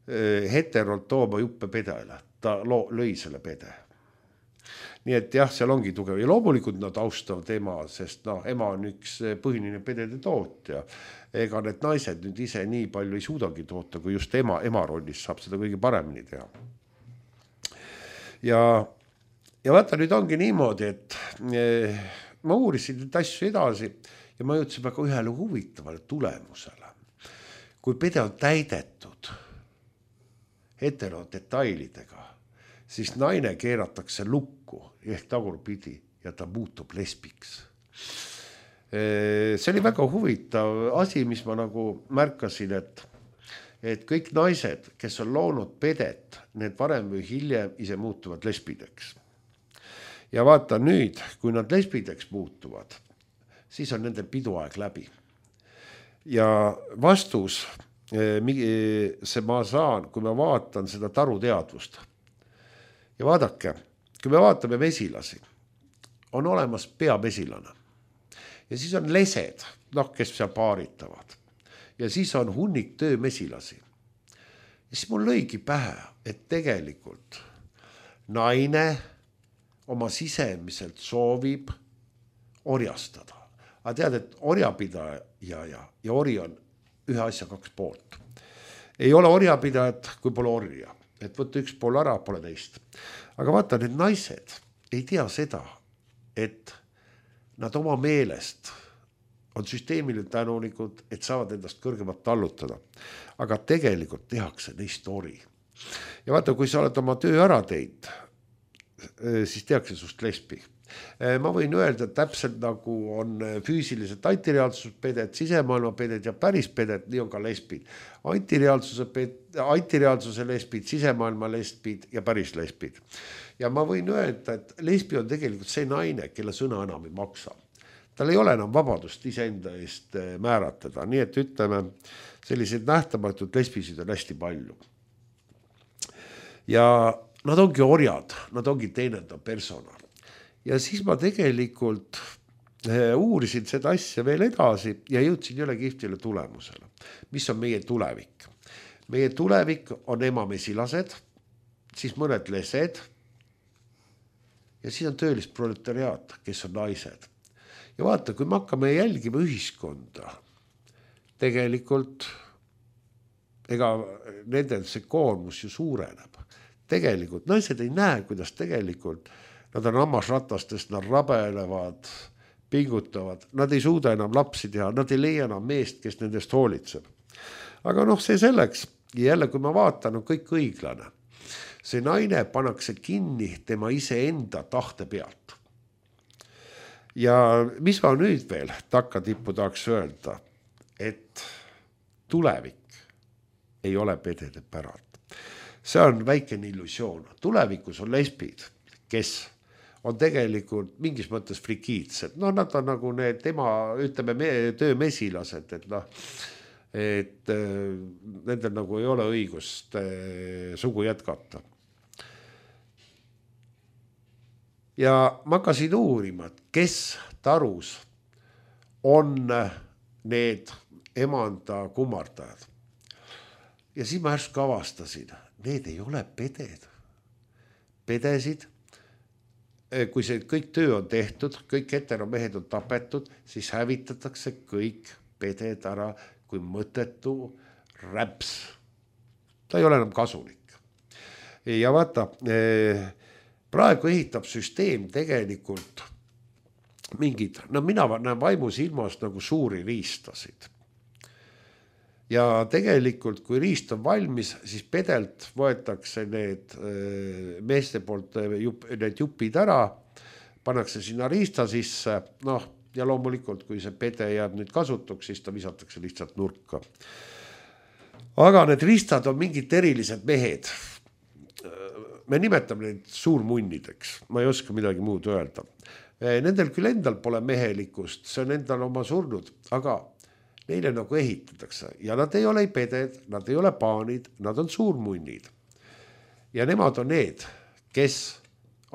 heterolt tooma juppe pedele. Ta lõi selle pede. Nii et jah, seal ongi tugev. Ja loomulikult nad austavad ema, sest no, ema on üks põhiline pedede tootja. Ega need naised nüüd ise nii palju ei suudagi toota, kui just ema, ema rollis saab seda kõige paremini teha. Ja, ja vaata, nüüd ongi niimoodi, et eh, ma uurisin neid asju edasi ja ma jõudsin väga ühele huvitavale tulemusele. Kui pede on täidetud heterodetailidega, siis naine keeratakse lukku ehk tagurpidi ja ta muutub lesbiks. See oli väga huvitav asi, mis ma nagu märkasin, et, et kõik naised, kes on loonud pedet, need varem või hiljem ise muutuvad lesbideks. Ja vaata nüüd, kui nad lesbideks muutuvad, siis on nende piduaeg läbi. Ja vastus, see ma saan, kui ma vaatan seda taruteadvust. Ja vaadake, kui me vaatame mesilasi, on olemas peamesilane. Ja siis on lesed, noh, kes seal paaritavad. Ja siis on hunnik töömesilasi. Ja siis mul lõigi pähe, et tegelikult naine oma sisemiselt soovib orjastada. Aga tead, et orjapidaja ja, ja, ja ori on ühe asja kaks poolt. Ei ole orjapidajat, kui pole orja. et võtta üks pool ära, pole teist. Aga vaata, need naised ei tea seda, et nad oma meelest on süsteemile tänulikud, et saavad endast kõrgemat tallutada. Aga tegelikult tehakse neist ori. Ja vaata, kui sa oled oma töö ära teinud, siis tehakse sust lesbi. Ma võin öelda, et täpselt nagu on füüsiliselt antireaalsuspeded, sisemaailma peded ja päris peded, nii on ka lesbid. Antireaalsuse, ped, antireaalsuse lesbid, sisemaailma lesbid ja päris lesbid. Ja ma võin öelda, et lesbi on tegelikult see naine, kelle sõna enam ei maksa. Tal ei ole enam vabadust iseenda eest määratada, nii et ütleme, sellised nähtamatud lesbisid on hästi palju. Ja nad ongi orjad, nad ongi teenendav personal. Ja siis ma tegelikult uurisin seda asja veel edasi ja jõudsin jälle kihvtile tulemusele. Mis on meie tulevik? Meie tulevik on emamesilased, siis mõned lesed ja siis on töölis proletariaat, kes on naised. Ja vaata, kui me hakkame jälgima ühiskonda, tegelikult ega nendel see koormus ju suureneb. Tegelikult naised ei näe, kuidas tegelikult nad on hammasratastest, nad rabelevad, pingutavad, nad ei suuda enam lapsi teha, nad ei leia enam meest, kes nendest hoolitseb. Aga noh, see selleks, ja jälle kui ma vaatan, on kõik õiglane. See naine pannakse kinni tema iseenda tahte pealt. Ja mis ma nüüd veel takkatippu tahaks öelda, et tulevik ei ole pedede päralt. See on väikene illusioon. Tulevikus on lesbid, kes on tegelikult mingis mõttes frikiidsed. No nad on nagu need tema, ütleme, töömesilased, et noh, et nendel nagu ei ole õigust sugu jätkata. Ja ma hakkasin uurima, kes tarus on need emanda kummardajad. Ja siis ma ärsku avastasin, need ei ole peded. Pedesid, kui see kõik töö on tehtud, kõik heteromehed on tapetud, siis hävitatakse kõik peded ära kui mõttetu räps. Ta ei ole enam kasulik. Ja vaata, praegu ehitab süsteem tegelikult mingid, no mina näen vaimus ilmas nagu suuri riistasid. Ja tegelikult, kui riist on valmis, siis pedelt võetakse need meeste poolt need jupid ära, pannakse sinna riista sisse, noh, ja loomulikult, kui see pede jääb nüüd kasutuks, siis ta visatakse lihtsalt nurka. Aga need riistad on mingid erilised mehed. Me nimetame neid suurmunnideks, ma ei oska midagi muud öelda. Nendel küll endal pole mehelikkust, see on endal oma surnud, aga neile nagu ehitatakse ja nad ei ole peded, nad ei ole paanid, nad on suurmunnid. Ja nemad on need, kes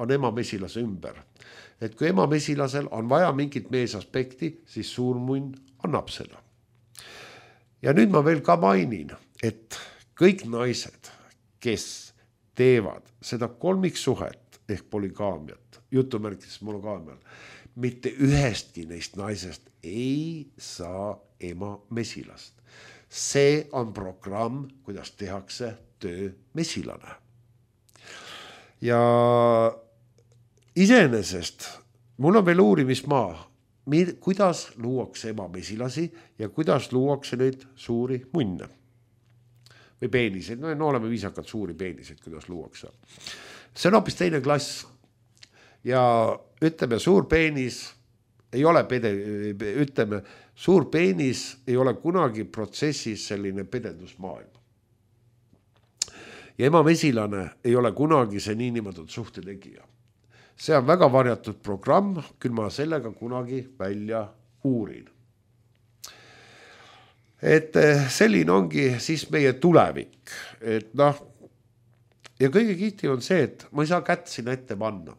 on emamesilase ümber. Et kui emamesilasel on vaja mingit meesaspekti, siis suurmunn annab seda. Ja nüüd ma veel ka mainin, et kõik naised, kes teevad seda kolmiksuhet ehk poligaamiat, jutumärkides monogaamial, mitte ühestki neist naisest ei saa ema mesilast. See on programm, kuidas tehakse töö mesilane. Ja iseenesest mul on veel uurimismaa, kuidas luuakse ema mesilasi ja kuidas luuakse neid suuri munne. Või peeniseid, no, no oleme viisakad suuri peeniseid, kuidas luuakse. See on hoopis teine klass. Ja ütleme, suur peenis ei ole pede, ütleme, suur peenis ei ole kunagi protsessis selline pedendusmaailm. Ja ema mesilane ei ole kunagi see niinimetatud suhtetegija. See on väga varjatud programm, küll ma sellega kunagi välja uurin. Et selline ongi siis meie tulevik. Et noh, ja kõige kihti on see, et ma ei saa kätt sinna ette panna.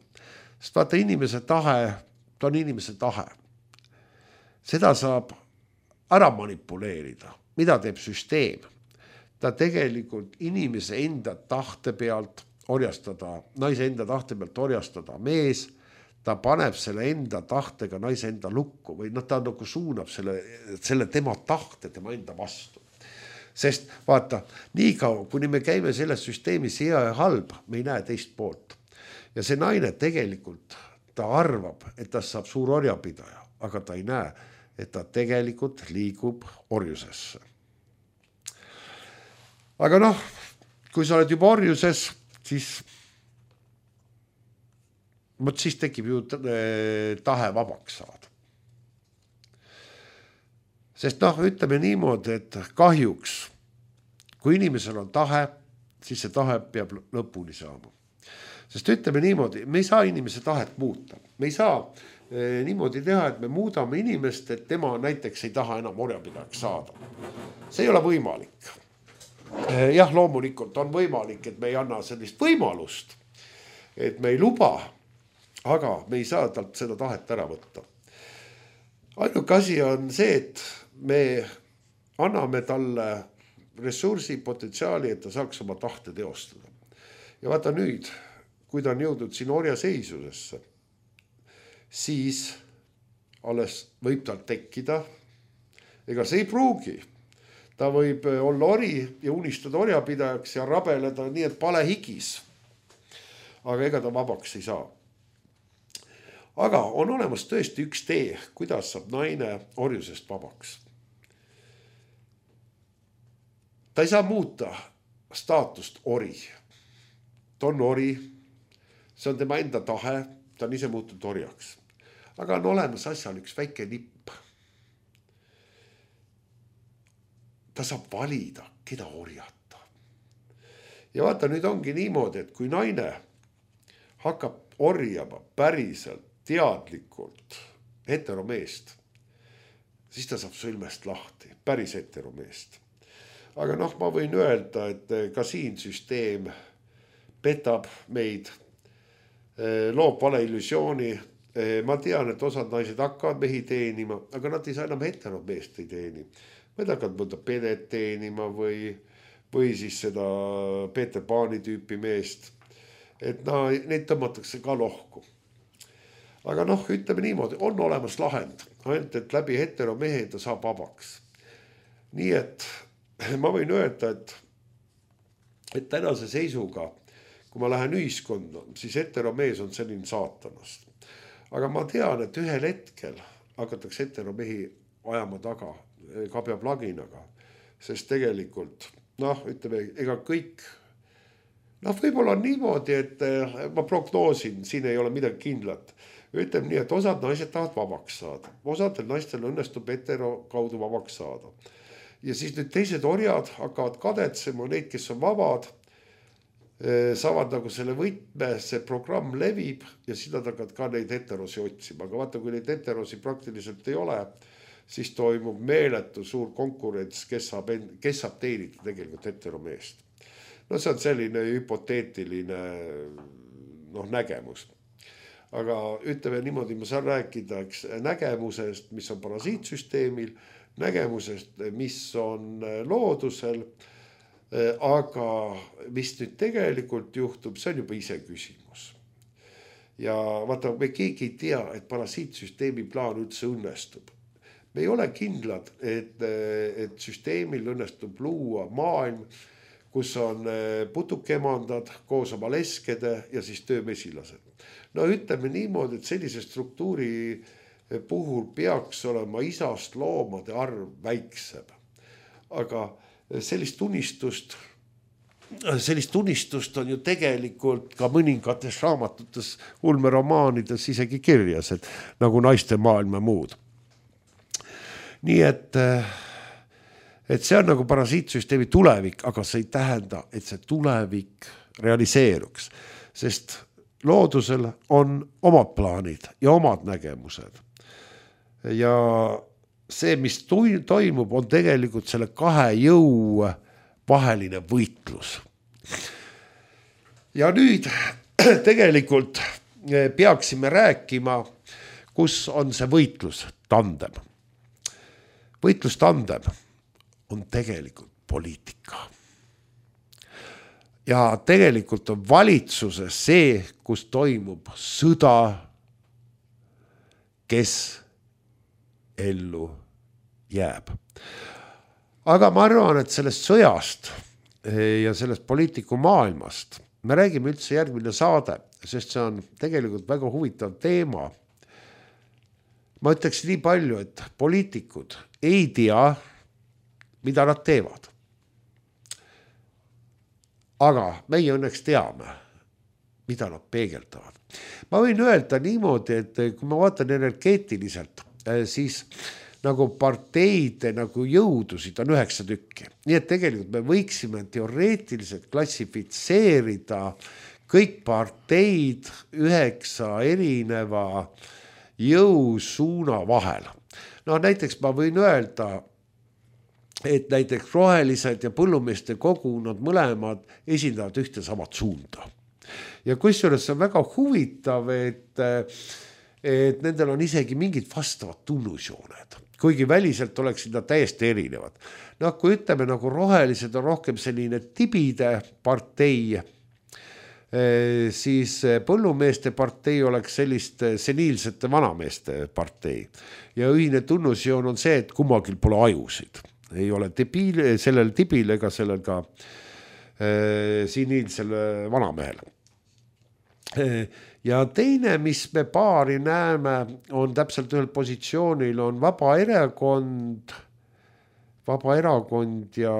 Sest vaata, inimese tahe, ta on inimese tahe. Seda saab ära manipuleerida. Mida teeb süsteem? Ta tegelikult inimese enda tahte pealt orjastada, naise enda tahte pealt orjastada mees, ta paneb selle enda tahtega naise enda lukku või noh, ta nagu suunab selle, selle tema tahte tema enda vastu. Sest vaata, nii kaua, kuni me käime selles süsteemis hea ja halb, me ei näe teist poolt. Ja see naine tegelikult, ta arvab, et ta saab suur orjapidaja, aga ta ei näe, et ta tegelikult liigub orjusesse. Aga noh, kui sa oled juba orjuses, siis, mõt siis tekib ju tahe vabaks saada. Sest noh, ütleme niimoodi, et kahjuks, kui inimesel on tahe, siis see tahe peab lõpuni saama. Sest ütleme niimoodi, me ei saa inimese tahet muuta. Me ei saa eh, niimoodi teha, et me muudame inimest, et tema näiteks ei taha enam orjapidajaks saada. See ei ole võimalik. Eh, jah, loomulikult on võimalik, et me ei anna sellist võimalust, et me ei luba, aga me ei saa talt seda tahet ära võtta. Ainuke asi on see, et me anname talle ressursi, potentsiaali, et ta saaks oma tahte teostada. Ja vaata nüüd, kui ta on jõudnud siin orja seisusesse, siis alles võib tal tekkida, ega see ei pruugi. Ta võib olla ori ja unistada orjapidajaks ja rabeleda nii, et pale higis. Aga ega ta vabaks ei saa. Aga on olemas tõesti üks tee, kuidas saab naine orjusest vabaks. Ta ei saa muuta staatust ori. Ta on ori, see on tema enda tahe, ta on ise muutunud orjaks. Aga on olemas asjal üks väike nipp. Ta saab valida, keda orjata. Ja vaata, nüüd ongi niimoodi, et kui naine hakkab orjama päriselt, teadlikult heteromeest, siis ta saab sõlmest lahti, päris heteromeest. Aga noh, ma võin öelda, et ka siin süsteem petab meid, loob vale illusiooni. Ma tean, et osad naised hakkavad mehi teenima, aga nad ei saa enam heteromeest ei teeni. Nad hakkavad mõnda pedet teenima või, või siis seda Peeter Paani tüüpi meest. Et na, neid tõmmatakse ka lohku. Aga noh, ütleme niimoodi, on olemas lahend, ainult et läbi heteromehe ta saab vabaks. Nii et ma võin öelda, et, et tänase seisuga, kui ma lähen ühiskonda, siis heteromees on selline saatanast. Aga ma tean, et ühel hetkel hakatakse heteromehi ajama taga kabjaplaginaga, sest tegelikult, noh, ütleme, ega kõik, noh, võib-olla on niimoodi, et ma prognoosin, siin ei ole midagi kindlat. Ütleme nii, et osad naised tahavad vabaks saada. Osadel naistel õnnestub hetero kaudu vabaks saada. Ja siis nüüd teised orjad hakkavad kadetsema, neid, kes on vabad, saavad nagu selle võtme, see programm levib ja siis nad hakkavad ka neid heterosi otsima. Aga vaata, kui neid heterosi praktiliselt ei ole, siis toimub meeletu suur konkurents, kes saab, kes saab teenida tegelikult heteromeest. No see on selline hüpoteetiline noh, nägemus. Aga ütleme niimoodi, ma saan rääkida eks, nägemusest, mis on parasiitsüsteemil, nägemusest, mis on loodusel, aga mis nüüd tegelikult juhtub, see on juba ise küsimus. Ja vaata, me keegi ei tea, et parasiitsüsteemi plaan üldse õnnestub. Me ei ole kindlad, et, et süsteemil õnnestub luua maailm, kus on putukemandad koos oma leskede ja siis töömesilased. No ütleme niimoodi, et sellise struktuuri puhul peaks olema isast loomade arv väiksem. Aga sellist unistust, sellist unistust on ju tegelikult ka mõningates raamatutes, ulmeromaanides isegi kirjas, et nagu naiste maailma muud. Nii et, et see on nagu parasiitsüsteemi tulevik, aga see ei tähenda, et see tulevik realiseeruks, sest loodusel on omad plaanid ja omad nägemused. Ja see, mis toimub, on tegelikult selle kahe jõu vaheline võitlus. Ja nüüd tegelikult peaksime rääkima, kus on see võitlus tandem. Võitlus tandem on tegelikult poliitika. Ja tegelikult on valitsuses see, kus toimub sõda, kes ellu jääb. aga ma arvan, et sellest sõjast ja sellest poliitiku maailmast me räägime üldse järgmine saade, sest see on tegelikult väga huvitav teema. Ma ütleks nii palju, et poliitikud ei tea, mida nad teevad. Aga meie õnneks teame, mida nad peegeldavad. Ma võin öelda niimoodi, et kui ma vaatan energeetiliselt, siis nagu parteide nagu jõudusid on üheksa tükki. Nii et tegelikult me võiksime teoreetiliselt klassifitseerida kõik parteid üheksa erineva jõusuuna vahel. No näiteks ma võin öelda, et näiteks rohelised ja põllumeeste kogu, nad mõlemad esindavad ühte samad suunda. Ja kusjuures see on väga huvitav, et, et nendel on isegi mingid vastavad tunnusjooned, kuigi väliselt oleksid nad täiesti erinevad. No kui ütleme, nagu rohelised on rohkem selline tibide partei, siis põllumeeste partei oleks sellist seniilsete vanameeste partei. Ja ühine tunnusjoon on see, et kummagil pole ajusid. Ei ole tibil, sellel tibil ega sellel ka äh, seniilsel vanamehel. Ja teine, mis me paari näeme, on täpselt ühel positsioonil, on vaba erakond, vaba erakond ja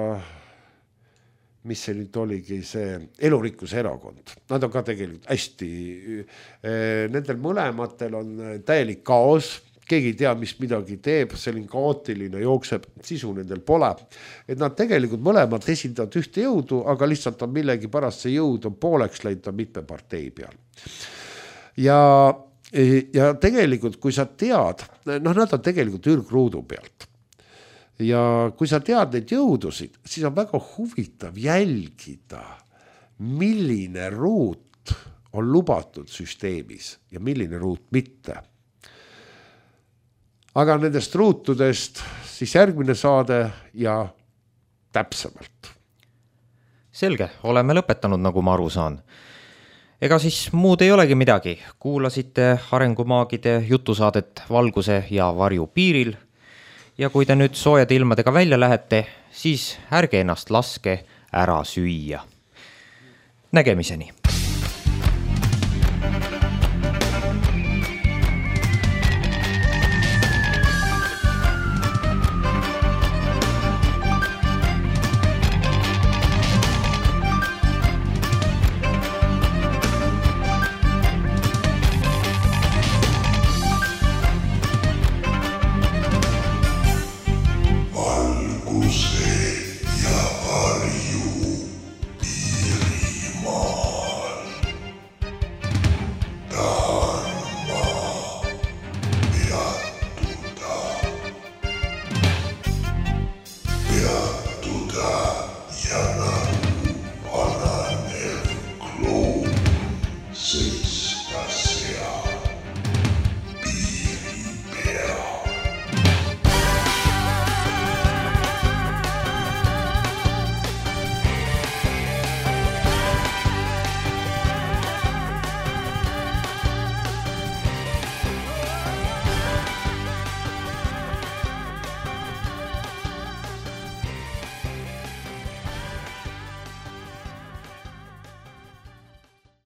mis see nüüd oligi, see elurikkuse erakond. Nad on ka tegelikult hästi, nendel mõlematel on täielik kaos, keegi ei tea, mis midagi teeb, selline kaootiline jookseb, sisu nendel pole. Et nad tegelikult mõlemad esindavad ühte jõudu, aga lihtsalt on millegi pärast see jõud on pooleks läinud on mitme partei peal. Ja, ja tegelikult, kui sa tead, noh, nad on tegelikult ürgruudu pealt. Ja kui sa tead neid jõudusid, siis on väga huvitav jälgida, milline ruut on lubatud süsteemis ja milline ruut mitte. Aga nendest ruutudest siis järgmine saade ja täpsemalt. Selge, oleme lõpetanud, nagu ma aru saan. Ega siis muud ei olegi midagi. Kuulasite arengumaagide jutusaadet Valguse ja varju piiril. Ja kui te nüüd soojade ilmadega välja lähete, siis ärge ennast laske ära süüa. Nägemiseni!